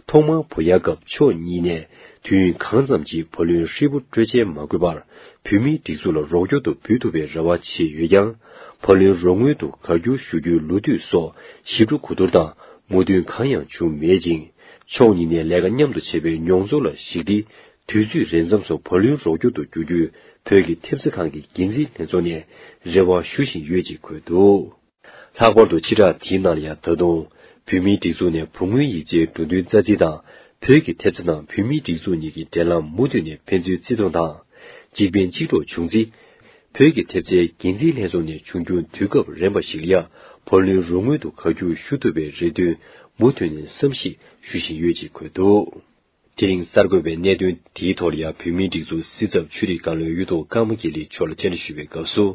ཐོག་མར་བུ་གཡར་སྐབས་ཕྱོགས་གཉིས་ནས་དུས་ཡུན་གང་ཙམ་གྱི་བུ་ལོན་ཧྲིལ་པོ་སྤྲོད་འཇལ་མ་དགོས་པར་བོད་མིའི་སྒྲིག་འཛུགས་ལ་རོགས་སྐྱོར་དུ་འབུལ་ཐུབ་པའི་རེ་བ་བྱས་ཡོད་ཀྱང་། བུ་ལོན་རོགས་དངུལ་དུ་བཀའ་འགྱུར་ཞུ་རྒྱུའི་ལོ་དུས་སོགས་ཞིབ་ཕྲ་གོ་བསྡུར་དང་མོས་མཐུན་གང་ཡང་བྱུང་མེད་ཅིང་། ཕྱོགས་གཉིས་ནས་ལས་ཀ་མཉམ་དུ་བྱེད་པའི་མྱོང་ཚོར་ལ་གཞིགས་ཏེ། དུས་ཚོད་རན་མཚམས་སུ་བུ་ལོན་རོགས་སྐྱོར་དུ་བསྒྱུར་རྒྱུའི་བོད་ཀྱི་ཐེབས་རྩ་ཁང་གི་འགན་འཛིན་ལྷན་ཚོགས་ནས་རེ་བ་ཞུ་བཞིན་ཡོད་ཅེས་འཁོད་འདུག། ལྷག་པར་དུ་ཕྱིར་བསྒྲགས་དེའི་ནང་ལ་ཡང་ད་དུང་། བོད་མིའི་སྒྲིག་འཛུགས་ནས་བུ་དངུལ་ཡིག་ཆའི་འགྲོ་དོན་རྩ་འཛིན་དང་། བོད་ཀྱི་ཐེབས་རྩ་ནང་བོད་མིའི་སྒྲིག་འཛུགས་གཉིས་ཀྱི་འབྲེལ་ལམ་མུ་མཐུད་ནས་ཕན་ཚུན་བརྩི་མཐོང་དང་། འཇིག་རྟེན་གཅིག་གྲོགས་བྱུང་ཚེ། བོད་ཀྱི་ཐེབས་རྩའི་འགན་འཛིན་ལྷན་ཚོགས་ནས་བྱུང་རྒྱུ་དུས་སྐབས་རན་པ་ཞིག་ལ་ཡང་བུ་ལོན་རོགས་དངུལ་དུ་བཀའ་འགྱུར་ཞུ་ཐུབ་པའི་རེ་འདུན་མུ་མཐུད་ནས་བསམ་གཞིག་ཞུ་བཞིན་ཡོད་ཅེས་འཁོད་འདུག། དེ་རིང་གསར་འགོད་པས་གནད་དོན་དེའི་ཐོག་ལ་ཡང་བོད་མིའི་སྒྲིག་འཛུགས་སྲིད་ཚབ་ཆོས་རིག་བཀའ་བློན་གཡུ་ཐོག་ཀརྨ་དགེ་ལེགས་མཆོག་ལ་བཅར་འདྲི་ཞུས་པའི་སྐབས་སུ།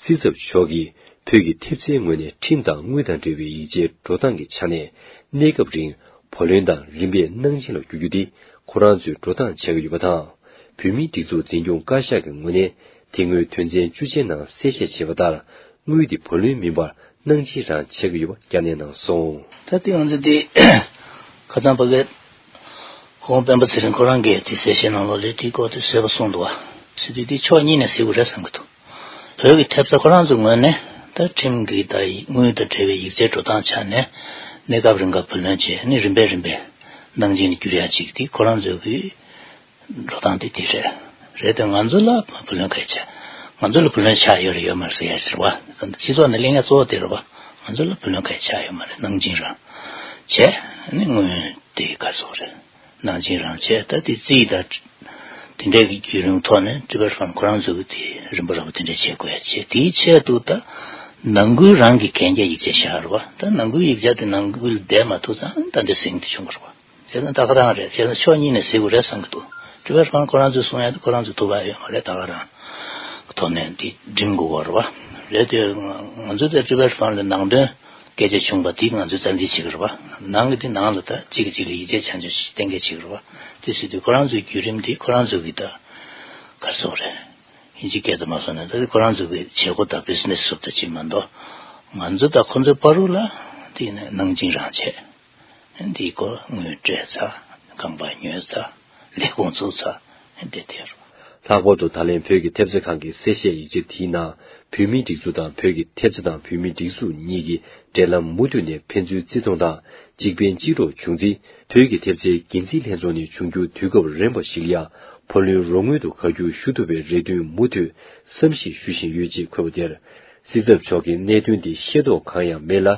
སྲིད་ཚབ་མཆོག་གིས་བོད་ཀྱི་ཐེབས་རྩའི་ངོས་ནས་ཁྲིམས་དང་དངུལ་དང་འབྲེལ་བའི་ཡིག་ཆའི་འགྲོ་སྟངས་ཀྱི་ཆ་ནས། གནས་སྐབས་རིང་བུ་ལོན་དང་རིམ་པས་གནང་སྦྱིན་ལ་བསྒྱུར་རྒྱུ་དེ་ཁོ་རང་ཚོས་འགྲོ་སྟངས་བྱེད་ཀྱི་ཡོད་པ་དང་། བོད་མིའི་སྒྲིག་འཛུགས་འཛིན་སྐྱོང་བཀའ་ཤག་གི་ངོས་ནས་དེ་སྔོན་དོན་ཚན་བཅུ་ཆའི་ནང་གསལ་བཤད་བྱས་པ་ལྟར། དངུལ་དེ་བུ་ལོན་མིན་པར་གནང་སྦྱིན་རང་བྱེད་ཀྱི་ཡོད་པ་བསྐྱར་ནན་གནང་སོང་། ད་དེ་ང་ཚོ་དེ་ཁ་སང་ཕ་གིར། ཁོང་སྤེན་པ་ཚེ་རིང་ཁོ་རང་གིས་དེ་གསལ་བཤད་ནང་ལོགས་ལ་དེའི་སྐོར་དེ་གསལ་པོ་གསུངས་འདུག་བ། ཟེར་དུས་དེ་ཕྱོགས་གཉིས་ནས་གཟིགས་དགོས་རེད་བསམ་གྱི་འདུག་བོད་ཀྱི་ཐེབས་རྩ་ཁོ་རང་ཚོའི་ངོས་ནས་ད་ཁྲིམས་ཀྱི་ད་དངུལ་དང་འབྲེལ་བའི་ཡིག་ཆའི་འགྲོ་སྟངས་ཆ་ནས་གནས་སྐབས་རིང་ག་བུ་ལོན་བྱས་ནས་རིམ་པས་རིམ་པས་ནང་འཇིགས་ནས་བསྒྱུར་ཡ་ཅིག་དེ་ཁོ་རང་ཚོའི་གི་འགྲོ་སྟངས་དེ་དེ་རེད། རེད་དེ་ང་ཚོ་ལ་བུ་ལོན་ག་རེ་ཆགས། ང་ཚོ་ལ་བུ་ལོན་ཆགས་ཡོད་རེད་ཡོད་མ་རེད་ཟེར་ཡ་ཟེར་བ། སྤྱི་ཚོགས་ནང་གླེང་ཡ་གཙོ་བོ་དེ་རེད་བ། ང་ཚོ་ལ་བུ་ལོན་ག་རེ་ཆགས་ཡོད་མ་རེད། ནང་འཇིགས་རང་བྱས་ནས་དངུལ་དེ་ག་རེ་ཟེར་དགོས་རེད། ནང་འཇིགས་རང་བྱས། ད་དེ་རྩིས་དང་དེ་འདྲའི་གི་བརྒྱུད་རིམ་ཐོག་ནས་ཊི་བེཊ་ཕན་ཁོ་རང་ཚོ་གི་དེ་རིམ་པ་རིམ་པ་དེ་འདྲ་བྱེད་དགོས་ཡ་བྱས། དེའི་ཆེད་དུ་ད་ནང་ཁུལ་རང་གི་གན་རྒྱ་ཡིག་ཆ་བཞག་རེད་བ། ད་ནང་ཁུལ་ཡིག་ཆ་དེ་ནང་ཁུལ་བསྡད་མ་ཐུབ་ཙང་ད་འདི་ཟིང་དེ་བྱུང་གི་རེད་བ། བྱས་ཙང་ད་ག་རང་རེད། བྱས་ཙང་ཕྱོགས་གཉིས་ནས་གཟིགས་དགོས་རེད་བསམ་གྱི་འདུག་ཊི་བེཊ་ཕན་ཁོ་རང་ཚོས་གསུང་ཡ་དེ་ཁོ་རང་ཚོས་ཐུགས་ཁག་ཡོད་མ་རེད། ད་ག་རང་གི་ཐོག་ནས་དེ་འགྲིམ་དགོས་པ་རེད་བ། རེད་དེ་ང་ཚོ་དེ་ཊི་བེཊ་ཕན་ལ་ནང་དོན་སྐད་ཆ་བྱུང་བ་དེ་ང་ཚོས་རྩ་འཛིན་བྱེད་ཀྱི་རེད་བ། ནང་གི་དེ་ནང་ལ་ད་གཅིག་གིས་གཅིག་ལ་ཡིད་ཆེས་བྱང་ཆུབ་ཞིག་གཏན་འཁེལ་བྱེད་ཀྱི་རེད་བ། དེ་ཟེར་དུས་ཁོ་རང་ཚོའི་བརྒྱུད་རིམ་དེ་ཁོ་རང་ཚོ་གི་ད་ག་རེ་ཟེར་དགོས་རེད། དབྱིན་ཇིའི་སྐད་དུ་མ་སོང་ན་ད་ཁོ་རང་ཚོ་གི་བྱེད་སྒོ་དང་བི་ཛི་ནེ་སི་སོགས་དང་གཅིག་མ་གཏོགས་ང་ཚོ་དང་ཁོ་ཚོའི་བར་དུ་ལ་དེ་ནས་ནང་འཇིགས་རང་བྱས། འདིའི་སྐོར་དངུལ་སྤྲད་ཚར། ཁང་པ་ཉོས་ཚར། ལས་ཁུངས་བཙུགས་ཚར། དེ་དེ་རུ། ལྷག་པར་དུ་ད་ལན་བོད་ཀྱི་ཐེབས་རྩ་ཁང་གི་གསལ་བཤད་ཡིག་ཆ་དེའི་ནང་བོད་མིའི་སྒྲིག་འཛུགས་དང་བོད་ཀྱི་ཐེབས་རྩ་དང་བོད་མིའི་སྒྲིག་འཛུགས་གཉིས་ཀྱི་འབྲེལ་ལམ་མུ་མཐུད་ནས་ཕན་ཚུན་བརྩི་མཐོང་དང་གཅིག་ཕན་གཅིག་གྲོགས་བྱུང་རྩིས། བོད་ཀྱི་ཐེབས་རྩའི་འགན་འཛིན་ལྷན་ཚོགས་ནས་འབྱུང་འགྱུར་དུས་སྐབས་རན་པ་ཞིག་ལ་ཡང་བུ་ལོན་རོགས་དངུལ་དུ་བཀའ་འཁྱོལ་ཞུ་ཐུབ་པའི་རེ་འདུན་མུ་མཐུད་བསམ་གཞིག་ཞུ་བཞིན་ཡོད་ཅེས་འཁོད་པ་དེར། སྲིད་ཚབ་མཆོག་གིས་གནད་དོན་འདི་ཤེས་རྟོགས་གང་ཡང་མེད་ལ།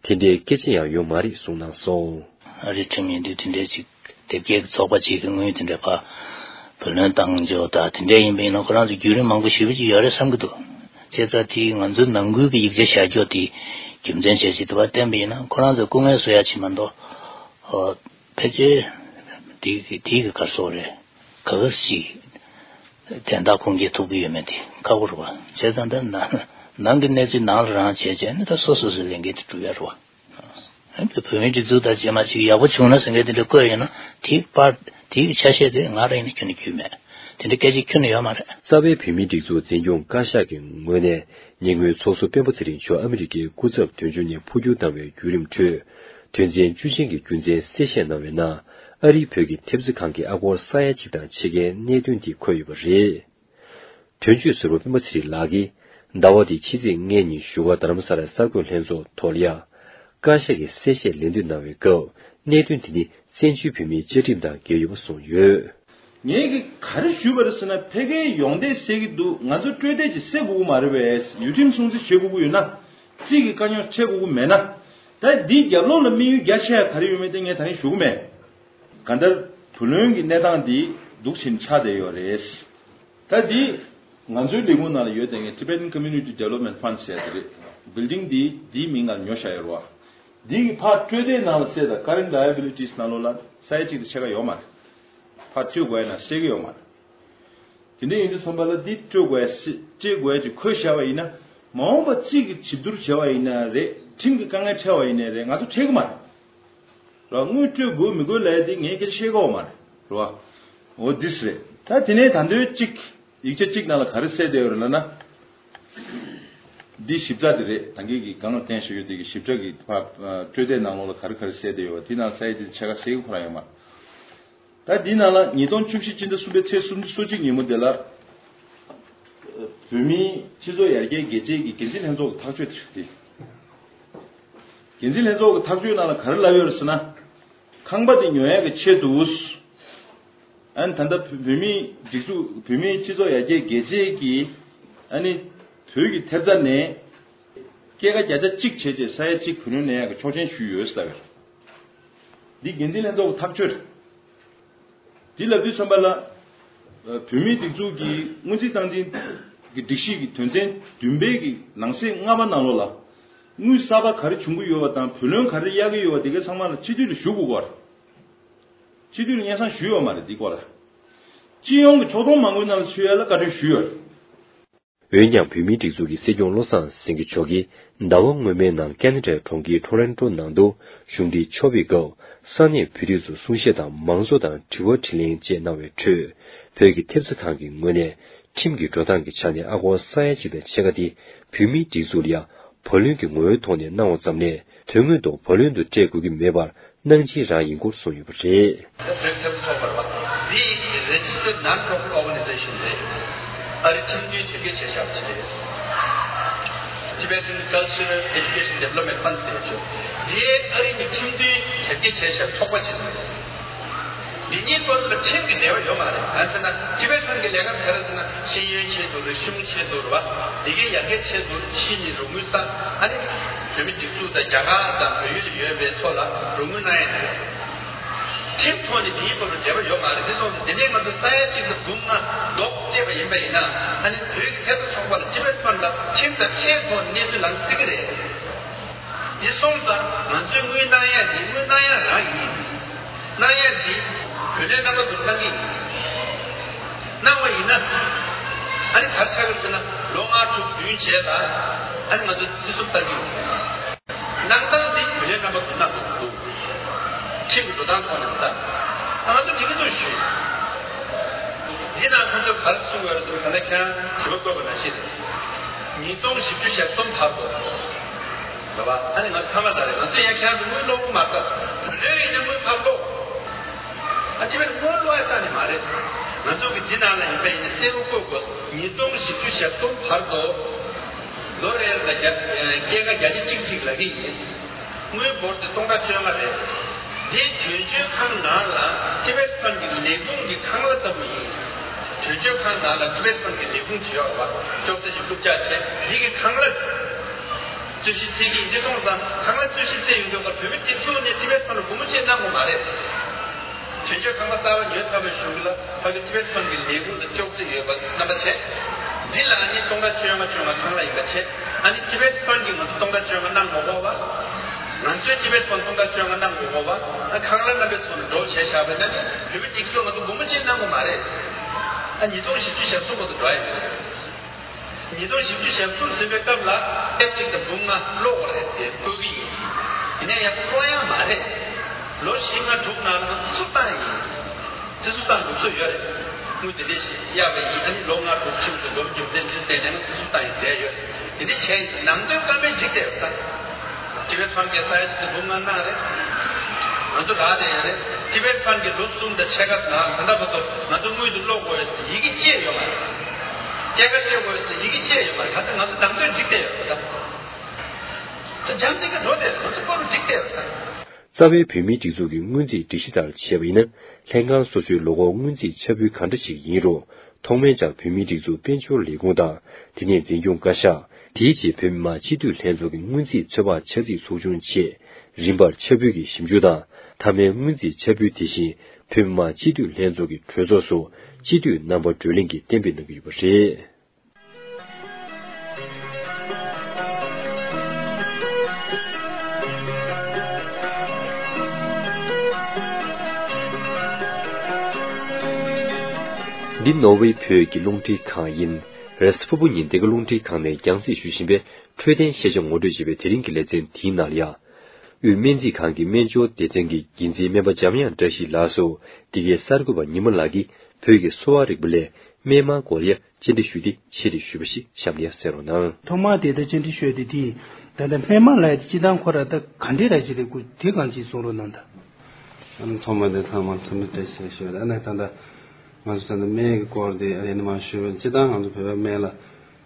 དེ་འདྲའི་སྐད་ཆ་ཡང་ཡོད་མ་རེད་གསུངས་གནང་སོང་། ཨ་རིའི་ཁྲིམས་ཡིན་དུས་དེ་འདྲའི་ཅིག་དེབ་སྐྱེལ་གྱི་ཚོགས་པ་ཅིག་གི་དངུལ་དེ་འདྲ་ཕར་བུ་ལོན་བཏང་འཇོག་དང་དེ་འདྲ་ཡིན་པ་ཡིན་ན་ཁོ་རང་ཚོ་བརྒྱུད་རིམ་མང་པོ་ཞེ་པོ་ཅིག་ཡོད་རེད་བསམ་གྱི་འདུག་བྱས་ཙང་དེའི་ང་ཚོའི་ནང་ཁུལ་གྱི་ཡིག་ཆ་བཞག་རྒྱུ་དེ་རྒྱུ་མཚན་བྱས་ཅིག་དེ་བ་བསྟན་པ་ཡིན་ན་ཁོ་རང་ཚོ་སྐུ་ངལ་གསོ་ཡ་ཅིག་མ་གཏོགས་ཨོ་ཕལ་ཆེར་དེའི་དེའི་གི་ག་རེ་ཟེར་དགོས་རེད། ག་ག་ཞིག་དན་རྟགས་ཁུངས་སྐྱེལ་ཐུབ་ཀྱི་ཡོད་མེད་དེ་ཁག་པོ་རེད་བ། བྱས་ཙང་ད་ནང་ནང་གི་གནས་ཚུལ་ནང་ལ་རང་བྱས་བྱས་ནས་ད་སོ་སོ་སོའི་ལས་འགན་དེ་སྒྲུབ་ཡ་རེད་བ། ཨ་ནི་བོད་མིའི་སྒྲིག་འཛུགས་དང་རྗེས་མ་ཅིག་ཡག་པོ་བྱུང་ན་ཟེར་མཁན་དེ་འདྲ་བཀོད་ཡོད་ན་དེའི་པར་དེའི་ཆ་ཤས་དེ་ང་རང་ཡིན་ན་ཁྱོན་ནས་བརྒྱུད་མེད། དེ་འདྲ་སྐད་ཆ་ཁྱོན་ནས་ཡོད་མ་རེད། རྩ་བའི་བོད་མིའི་སྒྲིག་འཛུགས་འཛིན་སྐྱོང་བཀའ་ཤག་གི་ངོས་ནས་ཉེ་སྔོན་ཚོགས་ཟུར་སྤེན་པ་ཚེ་རིང་མཆོག་ཨ་མི་རི་ཀའི་སྐུ་ཚབ་དོན་གཅོད་ནས་འཕོ་འགྱུར་བཏང་བའི་བརྒྱུད་རིམ་ཁྲོད། དོན་ཚན་བཅུ་ཅན་གྱི་རྒྱུ་མཚན་གསལ་བཤད་གནང་བའི་ནང་། ཨ་རིའི་བོད་ཀྱི་ཐེབས་རྩ་ཁང་གི་ཨ་སྒོར་ས་ཡ་གཅིག་དང་ཕྱེད་ཀའི་གནད་དོན་དེ་འཁོད་ཡོད་པ་རེད། དོན་གཅོད་ཟུར་པ་སྤེན་པ་ཚེ་རིང་ལགས་ཀྱིས་ཟླ་བ་འདིའི་ཕྱི་ཚེས་ལྔ་ཉིན་བཞུགས་སྒར་རྡ་རམ་ས་ལའི་གསར་འགོད་ལྷན་ཚོགས་ཐོག་ལ་ཡང་། བཀའ་ཤག་གི་གསལ་བཤད་ལེན་འདོད་གནང་བའི་སྐབས་གནད་དོན་དེ་ནི་བཙན་བྱོལ་བོད་མིའི་བཅའ་ཁྲིམས་དང་འགལ་ཡོད་པ་གསུངས་ཡོད། ངས་ཀྱི་ག་རེ་ཞུས་པ་རེད་ཟེར་ན་ཕལ་སྐད་ཡོང་བསྡད་ཟེར་གྱི་འདུག་ང་ཚོ་སྤྲོད་བདེ་ཅིག་སེལ་དགོས་ཀྱི་མ་རེད་པས། ཡུལ་ཁྲིམས་སྲུང་བརྩི་བྱེད་དགོས་ཀྱི་ཡོད་ན། རྩིས་ཀྱི་དཀའ་རྙོག་འཕྲད་དགོས་ཀྱི་མེད་ན། ད་འདིའི་རྒྱབ་ལོགས་ལ་དམིགས་ཡུལ་རྒྱ་ཆེ་ཡ་ག་རེ་ཡོད་མེད་དེ་ངས་ད་རིང་ཞུ་གི་མེད། གང་ལྟར་བུ་ལོན་གྱི་གནས་སྟངས་འདི་སྡུག་ཕྱིན་ཆགས་བསྡད་ཡོད་རེད། ད་འདི་ང་ཚོའི་ལས་ཁུངས་ནང་ལ་ཡོད་དེ་ངས་Tibetan Community Development Fund ཟེར་ཡ་དེ་རེད། Building འདི་འདིའི་མིང་ལ་ཉོ་བཞག་ཡོད་རེད་བ། འདི་གི་ཕར་སྤྲོད་བདེའི་ནང་ལ་གསལ་ད་Current Liabilities ནང་ལོགས་ལ་ས་ཡ་གཅིག་དང་ཕྱེད་ཀ་ཡོད་མ་རེད། ཕར་སྤྲོད་དགོས་ཡ་ན་གསལ་གི་ཡོད་མ་རེད། དེ་འདྲ་ཡིན་དུས་ཙམ་པ་ལ་འདི་སྤྲོད་དགོས་ཡ་སྤྲོད་དགོས་ཡ་ཅིག་འཁོད་བཞག་པ་ཡིན་ན། མ་འོངས་པ་རྩིས་ཀྱི་བྱེད་བསྡུར་བྱས་པ་ཡིན་ན་རེད། ཁྲིམས་ཀྱི་དཀའ་ངལ་འཕྲད་པ་ཡིན་ན་རེད། ང་ཚོ་འཕྲད་གི་མ་རེད། ར་དངུལ་སྤྲོད་དགོས་མི་དགོས་ལབ་ཡ་དེ་ངས་སྐད་ཆ་བཤད་གོ་མ་རེད། ར་བ། འོ་འདིས་རེད། ད་དེ་ནས་ད་འདོད་གཅིག་ཡིག་ཆ་གཅིག་ནང་ལ་ག་རེ་གསལ་བསྡད་ཡོད་རེད་ལབ་ན། འདི་ཞིབ་ཕྲ་དེ་རེད། ད་གིན་གྱི་གང་ལ་བརྟེན་བཞག་ཡོད་དེ་གི་ཞིབ་ཕྲ་གི་ཕ་སྤྲོད་བདེའི་ནང་ལོགས་ལ་ག་རེ་ག་རེ་གསལ་བསྡད་ཡོད་པ་དེ་ནང་ས་ཡ་དེ་ཆ་ག་གསལ་གི་ཁོ་རང་ཡོད་མ་རེད། ད་འདི་ནང་ལ་ཉིས་སྟོང་བཅུ་བཞི་སྤྱི་ཟླ་གསུམ་པའི་ཚེས་སོ་གཅིག་ཉིན་མོ་དེ་ལ། བོད་མིའི་སྤྱི་ཚོགས་ཡར་རྒྱས་དགེ་ཆེ་གི་འགན་འཛིན་ལྷན་ཚོགས་ཀྱི་ཐག་གཅོད་དེ་རེད། འགན་འཛིན་ལྷན་ཚོགས་ཀྱི་ཐག་གཅོད་ནང་ལ་ག་རེ་ལབ་ཡོད་རེད་ཟེར་ན། ཁང་པ་དེ་ཉོ་ཡག་གི་ཆེད་དུ། ཨ་ནི་ད་ལྟ་བོད་མིའི་སྒྲིག་འཛུགས་བོད་མིའི་སྤྱི་ཚོགས་ཡར་རྒྱས་དགེ་ཆེ་གི་ཨ་ནི་བོད་ཀྱི་ཐེབས་རྩ་ནས་སྐྱེད་ཀ་བརྒྱ་ཆ་གཅིག་བྱས་རྗེས་ས་ཡ་གཅིག་བུ་ལོན་ལེན་ཡག་གི་ཆོག་མཆན་ཞུས་ཡོད་ཟེར་ལབ་ཡོད། འདི་འགན་འཛིན་ལྷན་ཚོགས་ཀྱི་ཐག་གཅོད་རེད། འདི་ལབ་དུས་ཙམ་པ་ལ། བོད་མིའི་སྒྲིག་འཛུགས་ཀྱི་སྔོན་རྩིས་སྟངས་འཛིན་གྱི་སྒྲིག་གཞི་གི་དོན་ཚན་བདུན་པའི་གི་ནང་གསེས་ལྔ་པ་ནང་ལོགས་ལ། དངུལ་གསར་པ་ག་རེ་འབྱུང་གི་ཡོད་པ་དང་བུ་ལོན་ག་རེ་གཡར་གྱི་ཡོད་པ་དེ་གའི་ཚང་མ་ལ་སྤྱི་འཐུས་ལ་ཞུ་དགོས་པ་རེད། སྤྱི་འཐུས་ལ་སྙན་སེང་ཞུས་ཡོད་མ་རེད་འདི་སྐོར་ལ། སྤྱི་ཡོངས་ཀྱི་ཕྱོགས་མཐོང་མང་པོའི་ནང་ལ་ཚུད་ཡ་ལ་བཀའ་འཁྲོལ་ཞུས་ཡོད་རེད། འོན་ཀྱང་བོད་མིའི་སྒྲིག་འཛུགས་ཀྱི་སྲིད་སྐྱོང་བློ་བཟང་སེང་གེ་མཆོག་གིས་ཟླ་བ་སྔོན་མའི་ནང་ཀ་ན་ཌའི་གྲོང་ཁྱེར་ཊོ་རོན་ཊོ་ནང་དུ་གཞུང་འབྲེལ་ཕྱོགས་ཕེབས་སྐབས་ས་གནས་བོད་རིགས་ཚོ་གསུང་བཤད་དང་མང་ཚོགས་དང་དྲི་བ་དྲིས་ལན་བཅས་གནང་བའི་ཁྲོད། བོད་ཀྱི་ཐེབས་རྩ་ཁང་གི་ངོས་ནས་ཁྲིམས་ཀྱི་འགྲོ་སྟངས་ཀྱི་ཆ་ནས་ཨ་སྒོར་ས་ཡ་གཅིག་དང་ཕྱེད་ཀ་དེ་བོད་མིའི་སྒྲིག་འཛུགས་ལ་ཡང་བུ་ལོན་གྱི་ངོ་བོའི་ཐོག་ནས་གནང་བ་ཙམ་ལས་དོན་དངོས་ཐོག་བུ་ལོན་དུ་སྤྲད་དགོས་ཀྱི་མེད་པར་ གནང་སྦྱིན་རང་ཡིན་སྐོར་གསུངས་ཡོད་པ་རེད། བོད་ཐབས་ཚོགས་པར་བ། འདི་Registered Non-Profit Organization རེད། ཨ་རི་ཁྲིམས་མཐུན་དོན་འཁྱོལ་བྱས་བཞག་པ་ཞིག་རེད། Tibetan Cultural Education Development Fund ཟེར་ཆོག་འདི་ཨ་རི་ནི་ཁྲིམས་མཐུན་དོན་འཁྱོལ་བྱས་བཞག་ཚོགས་པ་ཞིག་རེད། འདི་གཉིས་བར་ལ་ཁྲིམས་ཀྱི་འབྲེལ་བ་ཡོད་མ་རེད། གང་ཟེར་ན་Tibetan གི་ལས་ཀ་ག་རེ་ཟེར་ན་ཤེས་ཡོན་ཆེད་དུ་རེད། ཤེས་ཡོན་ཆེད་དུ་རེད་བ། འདི་གའི་ཡར་རྒྱས་ཆེད་དུ་ཕྱི་ནས་རོགས་དངུལ་བསགས། ཨ་ནི་བོད་མི་སྒྲིག་འཛུགས་དང་རྒྱ་གར་དང་བལ་ཡུལ་ལ་ཡོད་པའི་ཚོ་ལ་རོགས་དངུལ་གནང་ཡ་དེ་རེད། ཁྲིམས་ཐོག་ནས་དེའི་བར་དུ་འབྲེལ་བ་ཡོད་མ་རེད། དེ་སོང་ཙང་དེ་ནས་ང་ཚོ་ས་ཡ་གཅིག་དང་འབུམ་ལྔ་ལོག་བལྟས་པ་ཡིན་པ་ཡིན་ན། ཨ་ནི་བོད་ཀྱི་ཐད་དུ་ཚོགས་པ་ལ་Tibetan ལ་ཁྲིམས་དང་ཆད་ཐོག་ནས་གནས་ཚུལ་ལམ་སེང་གི་རེད། དེ་སོང་ཙང་ང་ཚོས་དངུལ་གནང་ཡ་དེ་དངུལ་གནང་ཡ་རང་ཡིན། གནང་ཡ་དེ་བུ་ལོན་རྣམ་པ་དུ་གནང་གི་ཡིན། གནང་བ་ཡིན་ན། ཨ་ནི་ག་རེ་ཆགས་ཀྱི་ཟེར་ན་ལོ་ལྔ་དྲུག་བདུན་རྗེས་ལ་ཨ་ནི་ང་ཚོ་རྩིས་སོ་བཏང་གི་ཡོད། གནང་སྟངས་འདི་བུ་ལོན་རྣམ་པ་དུ་གནང་དགོས་འདུག་ཁྲིམས་ཀྱི་འགྲོ་སྟངས་ཐོག་ནས་ད་ང་ཚོ་དེ་གི་ཚོ་ཞུས། འདི་ན་ཁོང་ཚོས་ག་རེ་གསུངས་ཡོད་རེད་ཟེར་ན། ད་ལྟ་ཁྱེད་རང་དྲི་བ་བཀོད་པ་ནང་བཞིན་ཉིས་སྟོང་བཞི་བཅུ་ཞེ་གསུམ་བར་དུ་རེད་བ། ཨ་ནི་ང་ཚོ་ཁ་མ་ད་རེད། ང་ཚོས་ཡང་ཁྱེད་རང་ཚོ་དངུལ་སློག་གི་མ་རེད། བུ་ལོན་ཡིན་ན་དངུལ་ཕར་སློག་ཨ་ཅི་བས་དངུལ་སློག་ཡ་ས་ནས་མ་རེད། ང་ཚོ་གི་འདི་ནང་ལ་ཡིན་པ་ཡིན་ན་གསལ་པོ་བཀོད་དགོས། ཉིས་སྟོང་བཞི་བཅུ་ཞེ་གསུམ་བར་དུ་ལོ་རེར་ལ་བརྒྱ་སྐྱེད་ཀ་བརྒྱ་ཆ་གཅིག་གཅིག་ལ་གི་ཡིན། དངུལ་འབོར་དེ་སྟོང་ཕྲག་བཅོ་ལྔ་རེད། འདི་དོན་གཅོད་ཁང་ནང་ལ་ཊི་བེཊ་ཕན་གྱི་ལས་ཁུངས་ཀྱི་ཁང་གླ་ལྟ་བུ་ཡིན། དོན་གཅོད་ཁང་ནང་ལ་ཊི་བེཊ་ཕན་གྱི་ལས་ཁུངས་བྱེད་ཡོད་པ་ཅོག་ཙེ་ཅིག་རྐུབ་བཀྱག་བྱས། འདི་གི་ཁང་གླ་རྩོད་གཞི་རྩོད་ཀྱི་ཡིན། དེ་སོང་ཙང་ཁང་གླ་རྩོད་གཞི་རྩོད་ཡོང་དུས་སྐབས་བོད་མི་སྒྲིག་འཛུགས་ནས་ཊི་བེཊ་ཕན་ལ་སྒོར་མོ་གཅིག་གནང་དགོས་མ་རེད། དོན་གཅོད་ཁང་གླ་གསར་པ་ཉོས་ཚར་བའི་གཞུག་ལ་ཕ་གི་ཊི་བེཊ་ཕན་གྱི་ལས་ཁུངས་དང་ཅོག་ཙེ་ཡོད་པ་རྣམ་པ་བྱས། འདི་ལ་ཨ་ནི་སྟོང་ཕྲག་བཅོ་ལྔ་བཅོ་ལྔ་ཁང་གླ་ཡིན་པ་བྱས། ཨ་ནི་ཊི་བེཊ་ཕན་གྱིས་ང་ཚོ་སྟོང་ཕྲག་བཅོ་ལྔ་གནང་དགོས་གོ་བ། ང་ཚོས་ཊི་བེཊ་ཕན་སྟོང་ཕྲག་བཅོ་ལྔ་གནང་དགོས་གོ་བ། ཨ་ཁང་གླ་རྣམ་པའི་ཚོགས་ནས་འགྲོ་བྱས་བཞག་པ་ཡིན་ན་ནི་བོད་མི་སྒྲིག་འཛུགས་ང་ཚོ་སྒོར་མོ་གཅིག་གནང་དགོས་མ་རེད། ཨ་ཉིས་སྟོང་བཞི་བཅུ་ཞེ་གསུམ་བར་དུ་འགྲོ་ཡ་ཡོད་རེད། ཉིས་སྟོང་བཞི་བཅུ་ཞེ་གསུམ་ཟིན་པའི་སྐབས་ལ་ཨེ་གཅིག་དང་འབུམ་ལྔ་སློག་དགོས་རེད་ཟེར་བཀོད་ཀྱི་ཡིན། ཡིན་ན་ཡང་སློག་ཡ་མ་རེད། ལོ་བཞི་ལྔ་དྲུག་ནང་ལ་ང་ཚོ་ཚུར་བཏང་ཡིན། ཚུར་བཏང་དགོས་ཚོད་ཡོད་རེད། དངུལ་དེ་འདྲས་ཤིག་གཡར་བ་ཡིན། ཨ་ནི་ལོ་ལྔ་དྲུག་ཕྱིན་དུས་ལོ་རྒྱུ་མཚན་ཅིག་བལྟས་ནས་ང་ཚོ་ཚུར་བཏང་ཡིན་ཟེར་ཡོད། དེ་འདྲས་བྱས་ཡིན། ནང་དོན་བཀའ་མོལ་འགྲིག་བསྡད་ཡོད་ད། ཊི་བེཊ་ཕན་གྱིས་ས་ཡ་གཅིག་དང་འབུམ་ལྔ་གནང་རེད། ང་ཚོ་རག་བསྡད་ཡོད་རེད། ཊི་བེཊ་ཕན་གྱིས་ལོ་གསུམ་དང་ཕྱེད་ཀ་ནང་ད་ལྟ་བར་དུ་ང་ཚོ་དངུལ་དེ་སློག་དགོས་ཡོད་ཟེར་ཡི་གེ་བཅས་ཡོད་མ་རེད། སྐྱེད་ཀ་སྤྲད་དགོས་ཡོད་ཟེར་ཡི་གེ་བཅས་ཡོད་མ་རེད། ག་ཚོད་ང་ཚོ་ནང་དོན་འགྲིག་བསྡད་ཡོད་རེད་ད། ད་འཇམ་ཐིང་ག་འགྲོ་བསྡད་ཡོད། ང་ཚོ་སྐོར་འགྲིག་བསྡད་ཡོད་ད། རྩ་བའི་བོད་མིའི་སྒྲིག་འཛུགས་ཀྱི་སྔོན་རྩིས་སྒྲིག་གཞི་ལྟར་བྱས་པ་ཡིན་ན། ལྷན་ཁང་སོ་སོའི་ལོ་འཁོར་སྔོན་རྩིས་ཆ་འཕྲུལ་གང་འདྲ་ཞིག་ཡིན་རུང་། ཐོག་མའི་ཆར་བོད་མིའི་སྒྲིག་འཛུགས་དཔལ་འབྱོར་ལས་ཁུངས་དང་། དེ་ནས་འཛིན་སྐྱོང་བཀའ་ཤག་དེའི་རྗེས་བོད་མི་མང་སྤྱི་འཐུས་ལྷན་ཚོགས་ཀྱི་སྔོན་རྩིས་ཚོད་དཔག་ཆ་ཚིག་ཚོགས་ཆུང་བཅས། རིམ་པར་ཆ་འཕྲུལ་གྱི་ཞིབ་འཇུག་དང་། མཐའ་མའི་སྔོན་རྩིས་ཆ་འཕྲུལ་དེ་བཞིན་བོད་མི་མང་སྤྱི་འཐུས་ལྷན་ཚོགས་ཀྱི་གྲོས་ཚོགས་སུ་སྤྱི་འཐུས་རྣམ་པ་བགྲོ་གླེང་གིས་གཏན་འབེབས་གནང་གི་ཡོད་པ་རེད། འདི་ནོར་ཝེ་བོད་ཀྱི་རླུང་འཕྲིན་ཁང་ཡིན། རེས་གཟའ་ཕུར་བུ་ཉིན་འདི་ག་རླུང་འཕྲིན་ཁང་ནས་རྒྱང་སྲིང་ཞུ་བཞིན་པའི་འཕྲོད་བསྟེན་ཤེས་བྱ་ངོ་སྤྲོད་ཅེས་པའི་དེ་རིང་གི་ལེ་ཚན་དེའི་ནང་ལ་ཡང་། དབུས་སྨན་རྩིས་ཁང་གི་སྨན་སྦྱོར་སྡེ་ཚན་གྱི་འགན་འཛིན་སྨན་པ་འཇམ་དབྱངས་བཀྲ་ཤིས་ལགས་སུ། འདི་གའི་གསར་འགོད་པ་ཉི་མ་ལགས་ཀྱིས་བོད་ཀྱི་གསོ་བ་རིག་པ་ལས་སྨན་མང་སྐོར་ལ་བཅར་འདྲི་ཞུས་ཏེ་ཆེད་དུ་ཞུས་པ་ཞིག་གཤམ་ལ་ཡང་གསན་རོགས་གནང་། ཐོག་མར་དེ་ལྟར་བཅར་འདྲི་ཞུས་ཏེ་དེ་ད་ལྟ་སྨན་མང་ལབ་ཡ་དེ་སྤྱིར་བཏང་ཁོ་རང་ད་ག་འདྲས་ར་ཅིག་རེད། ཁོ་དེ་གང་ཅིག་གསུང་རོགས་གནང་ད། ཨ་ནི་ཐོག་མར་དེ་ཚང་མ་འཚམས་འདྲི་བཀྲ་ཤིས་ཞུ་ཡ། ཨ་ནི་ད་ལྟ་ང་ཚོ་ད་ལྟ་སྨན་གྱི་སྐོར་དེ་ཨ་ནི་མང་ཞུ་བ་ཡིན། སྤྱིར་བཏང་ང་ཚོ་བོད་པའི་སྨན་ལ་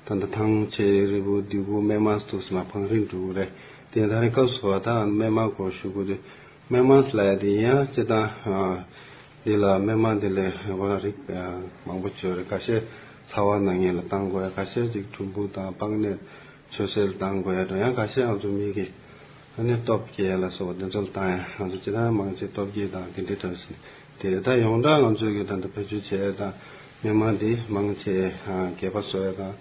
ད་ལྟ་ཐང་ཆད་རིལ་བུ་ལྡེ་གུ་སྨན་མང་འདུག་སེ་མ་བང་རིམ་འགྲོ་གི་རེད། དེ་ད་རེས་སྐབས་སུ་བ་ད་སྨན་མང་སྐོར་ཞུ་དགོས་དུས་སྨན་མང་ལབ་ཡ་དེ་ཡིན་ཡང་སྤྱིར་བཏང་འདི་ལ་སྨན་མང་འདི་ལས་ཁོ་རང་རིགས་མང་པོ་ཅིག་ཡོད་རེད། ཁ་ཤས་ཚ་བ་ན་མཁན་ལ་བཏང་དགོས་ཡ། ཁ་ཤས་ཅིག་གྲུམ་བུ་དང་པགས་ནད་ཆུ་སེར་བཏང་དགོས་ཡ་འགྲོ། ཡང་ཁ་ཤས་ང་ཚོ་མི་གི་ཨ་ནི་སྟོབས་སྐྱེད་ལ་སོགས་པ་དེ་ཚོ་ལ་བཏང་ཡ། ང་ཚོ་སྤྱིར་བཏང་མང་ཆེ་སྟོབས་སྐྱེད་དང་དེ་འདྲའི་འདྲ་ཞིག་དེ་རེད། ད་ཡོངས་གྲགས་ང་ཚོ་གི་ད་ལྟ་བེད་སྤྱོད་བྱེད་ཡ་དང་སྨན་མང་འདི་མང་ཆེ་སྐེད་པ་གསོ་ཡ་དང་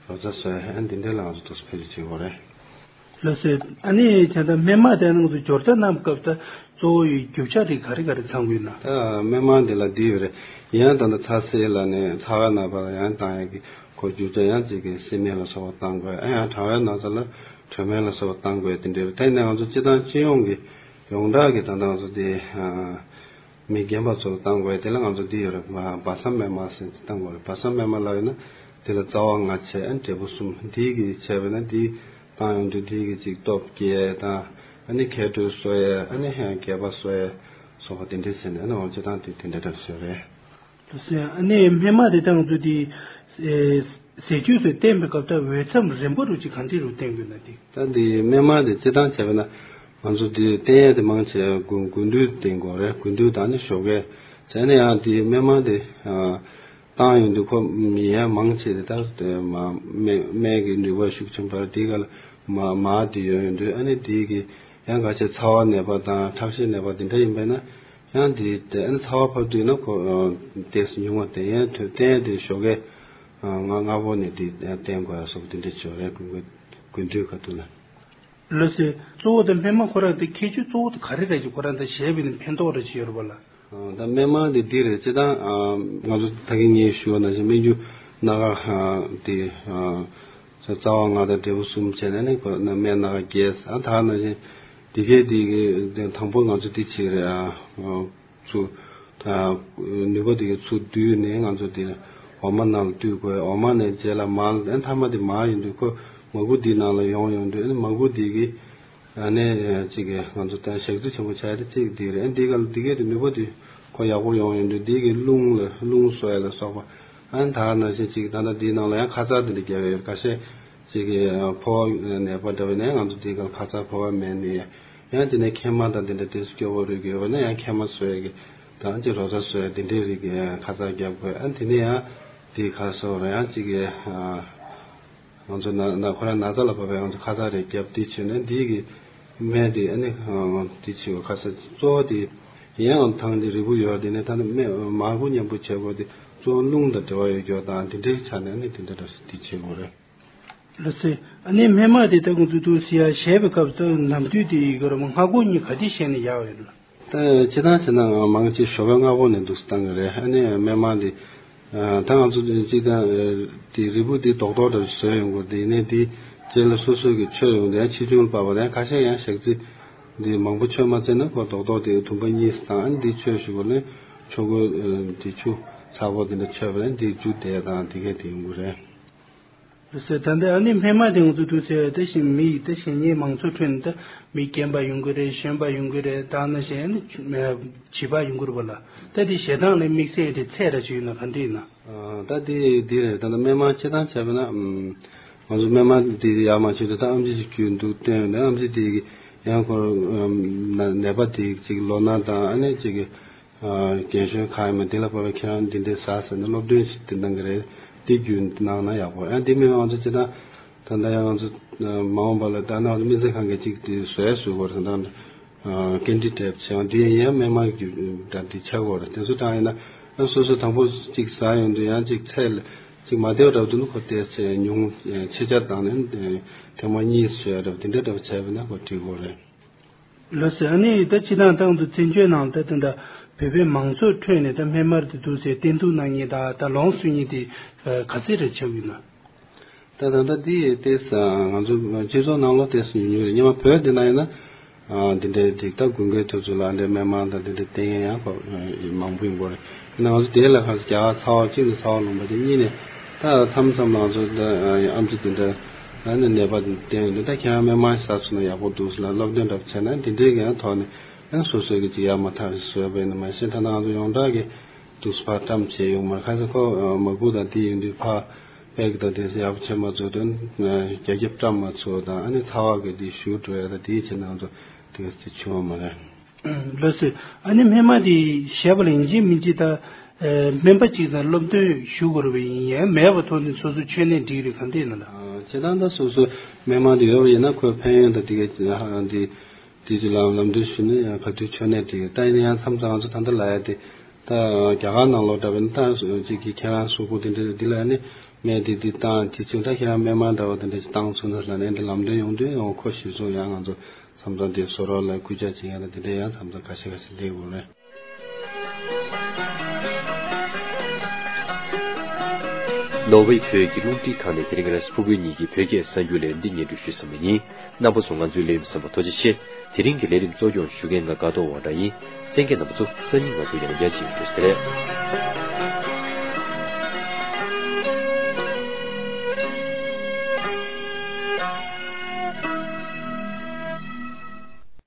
རོ་ཚ་གསོ་ཡ་ཨ་འདི་འདྲ་ལ་ང་ཚོ་ཏོག་ཙམ་བེད་སྤྱོད་བྱེད་དགོས་རེད། ལགས་སོ། ཨ་ནི་ད་ལྟ་སྨན་མང་དེ་ང་ཚོ་སྦྱོར་རྒྱག་གནང་སྐབས་ད་གཙོ་བོ་ཡི་རྒྱུ་ཆ་རིགས་ག་རེ་ག་རེ་ཚང་དགོས་ན། ད་སྨན་མང་འདི་ལ་འདི་ཡོད་རེད། ཡང་ད་ལྟ་ཚ་སེལ་ལ་ནས་ཚ་བའི་ན་ཚ་ལ་ཡང་བཏང་ཡ་གི་ཁོ་རྒྱུ་ཆ་ཡང་གཅིག་གི་སི་མེན་ལ་སོགས་པ་བཏང་དགོས། ཨ་ཡང་གྲང་བའི་ན་ཚ་ལ་དྲོད་སྨན་ལ་སོགས་པ་བཏང་དགོས། དེ་འདྲ་རེད། དེ་ནས་ང་ཚོ་སྤྱིར་བཏང་སྤྱི་ཡོངས་ཀྱི་ཡོངས་གྲགས་ཀྱི་ད་ལྟ་ང་ཚོ་དེ་མི་རྒན་པ་ཚོ་ལ་བཏང་དགོས། དེ་ལ་ང་ཚོ་འདི་ཡོད་རེད། བ་བ་སྲ་སྨན་མ་ཟེར་ཅིག་བཏང་དགོས་རེད། བ་སྲ་སྨན་མ་ལབ་ཡོད་ན་དེ་ལ་རྩ་བ་ལྔ་བྱས་ཨ་འབྲས་བུ་གསུམ་འདི་གི་བྱས་པས་ན་འདི་བཏང་ཡོང་དུས་འདི་གི་ཅིག་སྟོབས་སྐྱེད་དང་། ཨ་ནི་མཁལ་རྡོལ་གསོ་ཡས། ཨ་ནི་སྐེད་པ་གསོ་ཡས་སོགས་པ་དེ་འདྲས་བྱས་ནས། ཨ་ནི་འོ་སྤྱིར་བཏང་དེ་དེ་འདྲས་འདྲ་བཟོས་རེད། ལགས་སོ། ཨ་ནི་སྨན་མ་དེ་ད་ང་ཚོ་དེ་ཨེ་ཟས་བཅུད་སོགས་བསྟེན་པའི་སྐབས་ད་འོས་འཚམ་རན་པོ་རུ་ཅིག་གང་འདྲས་རུ་བསྟེན་དགོས་ན་དེ། ད་འདི་སྨན་མ་དེ་སྤྱིར་བཏང་བྱས་པ་ན། ང་ཚོ་འདི་བསྟེན་ཡས་དེ་མང་ཆེ་དགུན་དགུན་དུས་བསྟེན་དགོས་རེད། དགུན་དུས་དང་ནི་ཞོགས་ཀས་བྱས་ནས། ཡང་འདི་སྨན་མ་དེ་ཨ་བཏང་ཡོང་དུས་ཁོ་ཡིན་ཡང་མང་ཆེ་དེ་ད་མ་སྨན་སྨན་གྱི་ནུས་པ་ཤུགས་ཆེན་པོ་དེ་ག་ལ་མ་མ་དེ་ཡོང་ཡོང་དུས། ཨ་ནི་དེ་གི་ཡང་ག་ཆེ་ཚ་བ་ནད་པ་དང་ཁྲག་ཤེད་ནད་པ་དེ་འདྲ་ཡིན་པས་ན། ཡང་དེ་དེ་ཨ་ནི་ཚ་བ་ཕབ་དུས་ན་ཁོ་ཨ་ཏོག་ཙམ་ཉུང་བ་དེ། ཡང་དེ་བསྟེན་དེ་ཞོགས་ཀས་ཨ་སྔ་སྔ་པོ་ནས་དེ་བསྟེན་དགོས་ཡ་སོགས་དེ་འདྲ་བྱོས་རེད། དགུན་དགུན་དུས་ཁ་ཐུག་ལ། ལགས་སོ། གཙོ་བོ་དེ་སྨན་མ་ཁོ་རང་དེ་ཁྱད་ཆོས་གཙོ་བོ་དེ་ག་རེ་རེད་ཅེ། ཁོ་རང་དེ་བཞེས་པའི་ནི་ཕན་ཐོགས་རེ་ཅིག་ཡོད་རེད་པ་ལགས། ཨ་ད་སྨན་མ་དེ་འདི་རེད། སྤྱིར་བཏང་ཨ་ང་ཚོ་ད་གིན་ངས་ཞུས་པ་ནང་བཞིན་སྨན་རྒྱུ་སྣ་ཁ་ཨ་དེ་ཨ་རྩ་བ་ལྔ་དང་འབྲས་བུ་གསུམ་བྱས་ནས་ནི་ཁོ་སྨན་སྣ་ཁ་བརྒྱད། ཨ་ད་ནང་བཞིན་དེ་གས་དེ་གི་དང་པོ་ང་ཚོ་དེ་བྱས་རེད། ཨ་ཚུ་ད་ནུས་པ་དེ་གི་ཚུ་བསྡུས་ནས་ང་ཚོ་དེ་འོ་མ་ནང་ལ་བཏུས་དགོས། འོ་མ་ནས་རྗེས་ལ་མར། ཨ་མཐའ་མ་དེ་མར་ཡིན་དུས་ཁོ་མར་ཁུ་དེའི་ནང་ལ་ཡོང་ཡོང་དུས། ཨ་ནི་མར་ཁུ་དེ་གི་ཨ་ནི་གཅིག་གི་ང་ཚོ་ད་ཞག་རྩི་ཆེན་པོ་བྱ་ཡ་དེ་གཅིག་དེ་རེད། ཨ་འདི་ག་ལ་འདི་གས་དེ་ནུས་པ་དེ་ཁོ་ཡག་པོ་ཡོང་ཡོང་དུས་འདི་གི་རླུང་ལ་རླུང་གསོ་ཡ་ལ་སོགས་པ། ཨ་ནི་ད་ནང་བཞིན་གཅིག་ད་ལྟ་འདིའི་ནང་ལ་ཡང་ཁ་ཚ་དེ་འདྲ་རྒྱབ་ཡོད། ཁ་ཤས་གཅིག་གི་ཕོ་བ་ནད་པ་འདྲ་བའི་ནས་ང་ཚོ་འདི་ག་ལ་ཁ་ཚ་ཕོ་བ་མེད་ནས། ཡང་དེ་ནས་མཁལ་མ་དང་དེ་འདྲ་དེ་སྐྱོ་བོ་རིགས་ཡོད་པ་ན་ཡང་མཁལ་མ་གསོ་ཡ་གི་དང་གཅིག་རོ་བརྡ་གསོ་ཡ་དེ་འདྲའི་རིགས་ཀྱི་ཁ་ཚ་རྒྱབ་དགོས། ཨ་ནི་དེ་ནས་ཡང་དེ་ཁ་གསོ་ར་ཡང་གཅིག་གི་ང་ཚོ་ན་ན་ཁོ་རང་ན་ཚ་ལ་བབས་པའི་ང་ཚོ་ཁ་ཚ་རེ་རྒྱབ་དེ་བྱས་ནས་འདི་གི་སྨན་དེ་ཨ་ནི་དེ་བྱེད་དགོས། ཁ་ཚ་གཙོ་བོ་དེ་ཡང་ཐང་དེ་རིལ་བུ་ཡོད། དེ་ནས་ད་ནི་སྨན་མར་ཁུ་མཉམ་པོ་བྱེད་དགོས། དེ་གཙོ་བོ་རླུང་དང་འབྲེལ་བ་ཡོད་རྒྱུ་དང་དེ་འདྲའི་ཆ་ནས་ཨ་ནི་དེ་འདྲ་འདྲ་དེ་བྱེད་དགོས་རེད། ལགས་སོ། ཨ་ནི་སྨན་མ་དེ་ད་ཁོང་ཚོས་འདུག་ཟེར་ཡ་བཞེས་པའི་སྐབས་སུ་ནམ་དུས་དེ་ཡི་གེ་ར་མ་སྔ་དགོང་གཉིས་ག་དུས་བཞེས་ན་ཡག་ཡོད་ལ། ད་སྤྱིར་བཏང་བྱས་ན་མང་ཆེ་ཞོགས་པའི་སྔ་པོ་ནས་འདུག་སེ་བཏང་གི་རེད། ཨ་ནི་སྨན་མ་འདི་ད་ང་ཚོ་སྤྱིར་བཏང་དེ་རིལ་བུ་འདི་རྡོག་རྡོག་འདྲ་བཟོས་ཡོང་གི་རེད། དེ་ནས་དེ་རྗེས་ལ་སོ་སོ་གི་མཆོད་ཡོང་དེ་ཡང་ཆེ་ཆུང་ལ་བབས་པ་རེད། ཁ་ཤས་ཡང་ཞག་རྩི་འདི་མང་པོ་མཆོད་མ་ཚར་ན་ཁོ་རྡོག་རྡོག་དེ་དུམ་པ་གཉིས་སུ་བཏང་། ཨ་ནི་འདི་མཆོད་ཞུ་གོ་ལེ་ཆོ་གོ་འདི་ཆུ་ཚ་པོ་དེ་འདྲ་མཆོད་པ་རེད། འདི་རྒྱུ་དེ་དང་དེ་གས་དེ་ཡོང་གི་རེད། ལགས་སོ། ད་ལྟ་ཨ་ནི་སྨན་མ་དེ་ང་ཚོ་འདུག་ཟེར་བ་དེ་བཞིན་མི་ཡི་ད་གཞན་ཉེ་མང་ཚོགས་ཁྲོད་ནས་ད་མི་རྒན་པ་ཡོང་གི་རེད། གཞོན་པ་ཡོང་གི་རེད། ད་ནང་བཞིན་ཨ་ནི་བྱིས་པ་ཡོང་གི་རེད་པ་ལ། ད་དེ་བཞེས་སྟངས་ལ་དམིགས་བསལ་དེ་ཚད་ར་ཅིག་ཡོད་ན་ག་འདྲ་ཡིན་ན། ཨ་ད་དེ་དེ་རེད། ད་ལྟ་སྨན་མ་སྤྱིར་བཏང་བྱས་པ་ན་ཨམ་ང་ཚོ་སྨན་མ་དེ་ཡར་མར་བྱེད་དུས་ད་ཨམ་ཆི་ཅིག་རྒྱུན་འདུག་བསྟན་ཡོད་ན། ཨམ་ཆི་དེ་གི་ཡང་ཁོ་ཨམ་ན་ནད་པ་དེ་ཅིག་ལོ་ན་དང་ཨ་ནི་ཅིག་གི་རྒན་གཞོན་གང་ཡིན་མིན་དེ་ལ་བབས་པའི་ཁྱེད་རང་འདི་འདྲའི་ཟ་ཟེར་ནས་སློབ་སྟོན་ཞིག་དེ་གནང་གི་རེད། དེ་རྒྱུན་གནང་ན་ཡག་པོ། ཡང་དེ་མིན་ང་ཚོ་སྤྱིར་བཏང་ད་ལྟ་ཡང་ང་ཚོ་མ་འོངས་པ་ལ་ད་ནང་ཚོ་སྨན་རྩིས་ཁང་གི་ཅིག་དེ་བཟོས་བཟོས་དགོས་རེད། ད་ལྟ་ཀེན་ཌི་ཊེབ་བྱས་ཡང་དེ་ཡང་སྨན་མ་རྒྱུ་ད་དེ་ཆགས་དགོས་རེད། དེ་ཚོ་དང་ཡིན་ན་ཡང་སོ་སོ་དང་པོ་ཅིག་ཟ་ཡོང་དུས་ཡང་ཅིག་ཚད་ལ་ཅིག་མ་བདེ་བ་འདྲ་བོ་འདུག་ན་ཁོ་དེ་ཚད་ཉུང་ཆེ་ཆ་བཏང་ནས་ཐེངས་མ་གཉིས་བཟོས་འདྲ་བོ་དེ་འདྲ་འདྲ་བོ་བྱས་པ་ན་ཁོ་འགྲིག་གི་རེད། ལགས་སོ། ཨ་ནི་ད་སྤྱིར་བཏང་ཏང་དུ་བཙན་བྱོལ་ནང་ད་ད་ད་བོད་པའི་མང་ཚོགས་ཁྲོད་ནས་ད་སྨན་མར་དེ་འདུག་ཟེར་བསྟེན་གཏུག་གནང་མཁན་དང་ད་ལོངས་སུ་མཁན་དེ་ག་ཚད་རེ་ཆགས་ཡོད་ན། ད་ད་ལྟ་འདི་ཏོག་ཙམ་ང་ཚོ་སྤྱི་ཚོགས་ནང་ལོགས་ཏོག་ཙམ་ཉུང་ཉུང་རེད། སྔོན་མ་བོད་འདི་ན་ཡིན་ན་ཨ་འདི་འདྲའི་འགྲིག་ད་དགུན་ཁའི་དུས་ཚོད་ལ་འདྲའི་སྨན་མར་དང་འདི་འདྲའི་བསྟེན་མཁན་ཡང་ཁོ་མང་པོ་ཡིན་པ་རེད། ཡིན་ན་ང་ཚོ་དེ་ལ་ཁ་སང་རྒྱ་གར་ཚ་བ་གཅིག་ནས་ཚ་བ་ལུང་པ་དེ་གཉིས་ནས་ད་མཚམས་མཚམས་ང་ཚོ་ད་ཨམ་ཆི་དེ་འདྲ་ཨ་ནི་ནད་པ་བསྟེན་ཡོང་དུས་ད་ཁྱེད་རང་སྨན་མར་ཟ་ཚུགས་ན་ཡག་པོ་འདུག་ཟེར་ལ་སློབ་སྟོན་འདྲ་བྱས་ན་འདི་འདྲའི་གི་ཡང་ཐོག་ནས་ཡང་སོ་སོའི་གི་ཅིག་ཡར་མར་ཐག་བཟོས་པ་ཡིན་ན། མ་གཞི་ད་ནང་ང་ཚོ་ཡོངས་གྲགས་ཀྱི་དུག་ཕར་བཀྲམ་བྱས་ཡོང་མར་ཁ་སང་ཁོ་མར་ཁུ་དང་དེ་ཡིན་དུས་ཕར་པེག་དང་དེ་ཚོ་ཡག་པོ་བྱས་མ་བཟོ་དོན་རྒྱ་ཁྱབ་བཀྲམ་མ་ཚུགས་དང་། ཨ་ནི་ཚ་བ་གི་དེ་ཞུ་འགྲོ་ཡ་དང་དེའི་ཕྱིར་ན་ང་ཚོ་དེ་ག་ཚོད་བྱུང་བ་མ་རེད། ལགས་སོ། ཨ་ནི་སྨན་མ་དེ་བཞེས་པ་ལ་ཡིན་གཅིག་མིན་གཅིག་ད་སྨན་པ་གཅིག་དང་སློབ་སྟོན་ཞུ་དགོས་རེད་པ། ཡིན་ཡང་མེད་པ་ཐོག་ནས་སོ་སོ་མཆོད་གནས་འགྲིག་རེད་གང་ལྟར་ཡིན་ན་ལ། ཨ་བྱས་ཙང་ད་སོ་སོ་སྨན་མ་དེ་ཡོད་པ་ཡིན་ན་ཁོའི་ཕན་ཡོན་དང་དེ་ག་ཅིག་ཧ་ཨ་འདི་དེ་ཚོ་ལམ་ལམ་སྟོན་ཞུས་ནས་ཡང་ག་དུས་མཆོད་གནས་དེ་ད་ཡིན་ན་ཡང་མཚམས་མཚམས་ང་ཚོ་ད་ལྟ་ལབ་ཡ་དེ་ད་རྒྱ་གར་ནང་ལོགས་འདྲ་བས་ན་ད་གཅིག་གིས་ཁྱེད་རང་གཟུགས་པོ་དེ་འདྲ་འདི་ལ་ནི་སྨན་དེ་འདི་བཏང་དེ་ཚོ་ད་ཁྱེད་རང་སྨན་མར་འདྲ་བོ་དེ་འདྲ་ཞིག་བཏང་ཚུགས་ན་ལབ་ནས་འདི་ལམ་སྟོན་ཡོང་དུས་ཡང་ཁོ་གཞིར་བཟུང་ཡང་ང་ཚོ་མཚམས་མཚམས་དེ་བཟོ་རོགས་ལ་སྐུལ་ལྕག་བྱེད་ཡ་ད་དེ་འདྲ་ཡང་མཚམས་མཚམས་ཁ་ཤས་ཁ་ཤས་སླེབས་ཡོང་རེད། ནོར་ཝེ་བོད་ཀྱི་རླུང་འཕྲིན་ཁང་ནས་དེ་རིང་རེས་ཕུར་བུའི་ཉིན་གྱི་བོད་སྐད་གསར་འགྱུར་ལས་རིམ་འདི་སྙན་སྒྲོན་ཞུས་ཟིན་པ་ཡིན། རྣམ་པ་ཚོ་ང་ཚོའི་ལས་རིམ་གསན་པར་ཐུགས་རྗེ་ཆེ། དེ་རིང་གི་ལས་རིམ་གཙོ་སྐྱོང་ཞུ་མཁན་ང་དགའ་ཐོག་དབང་གྲགས་ཡིན། གསན་མཁན་རྣམ་པ་ཚོ་སང་ཉིན་ང་ཚོ་ཡང་བསྐྱར་མཇལ་ཡོང་། བཀྲ་ཤིས་བདེ་ལེགས།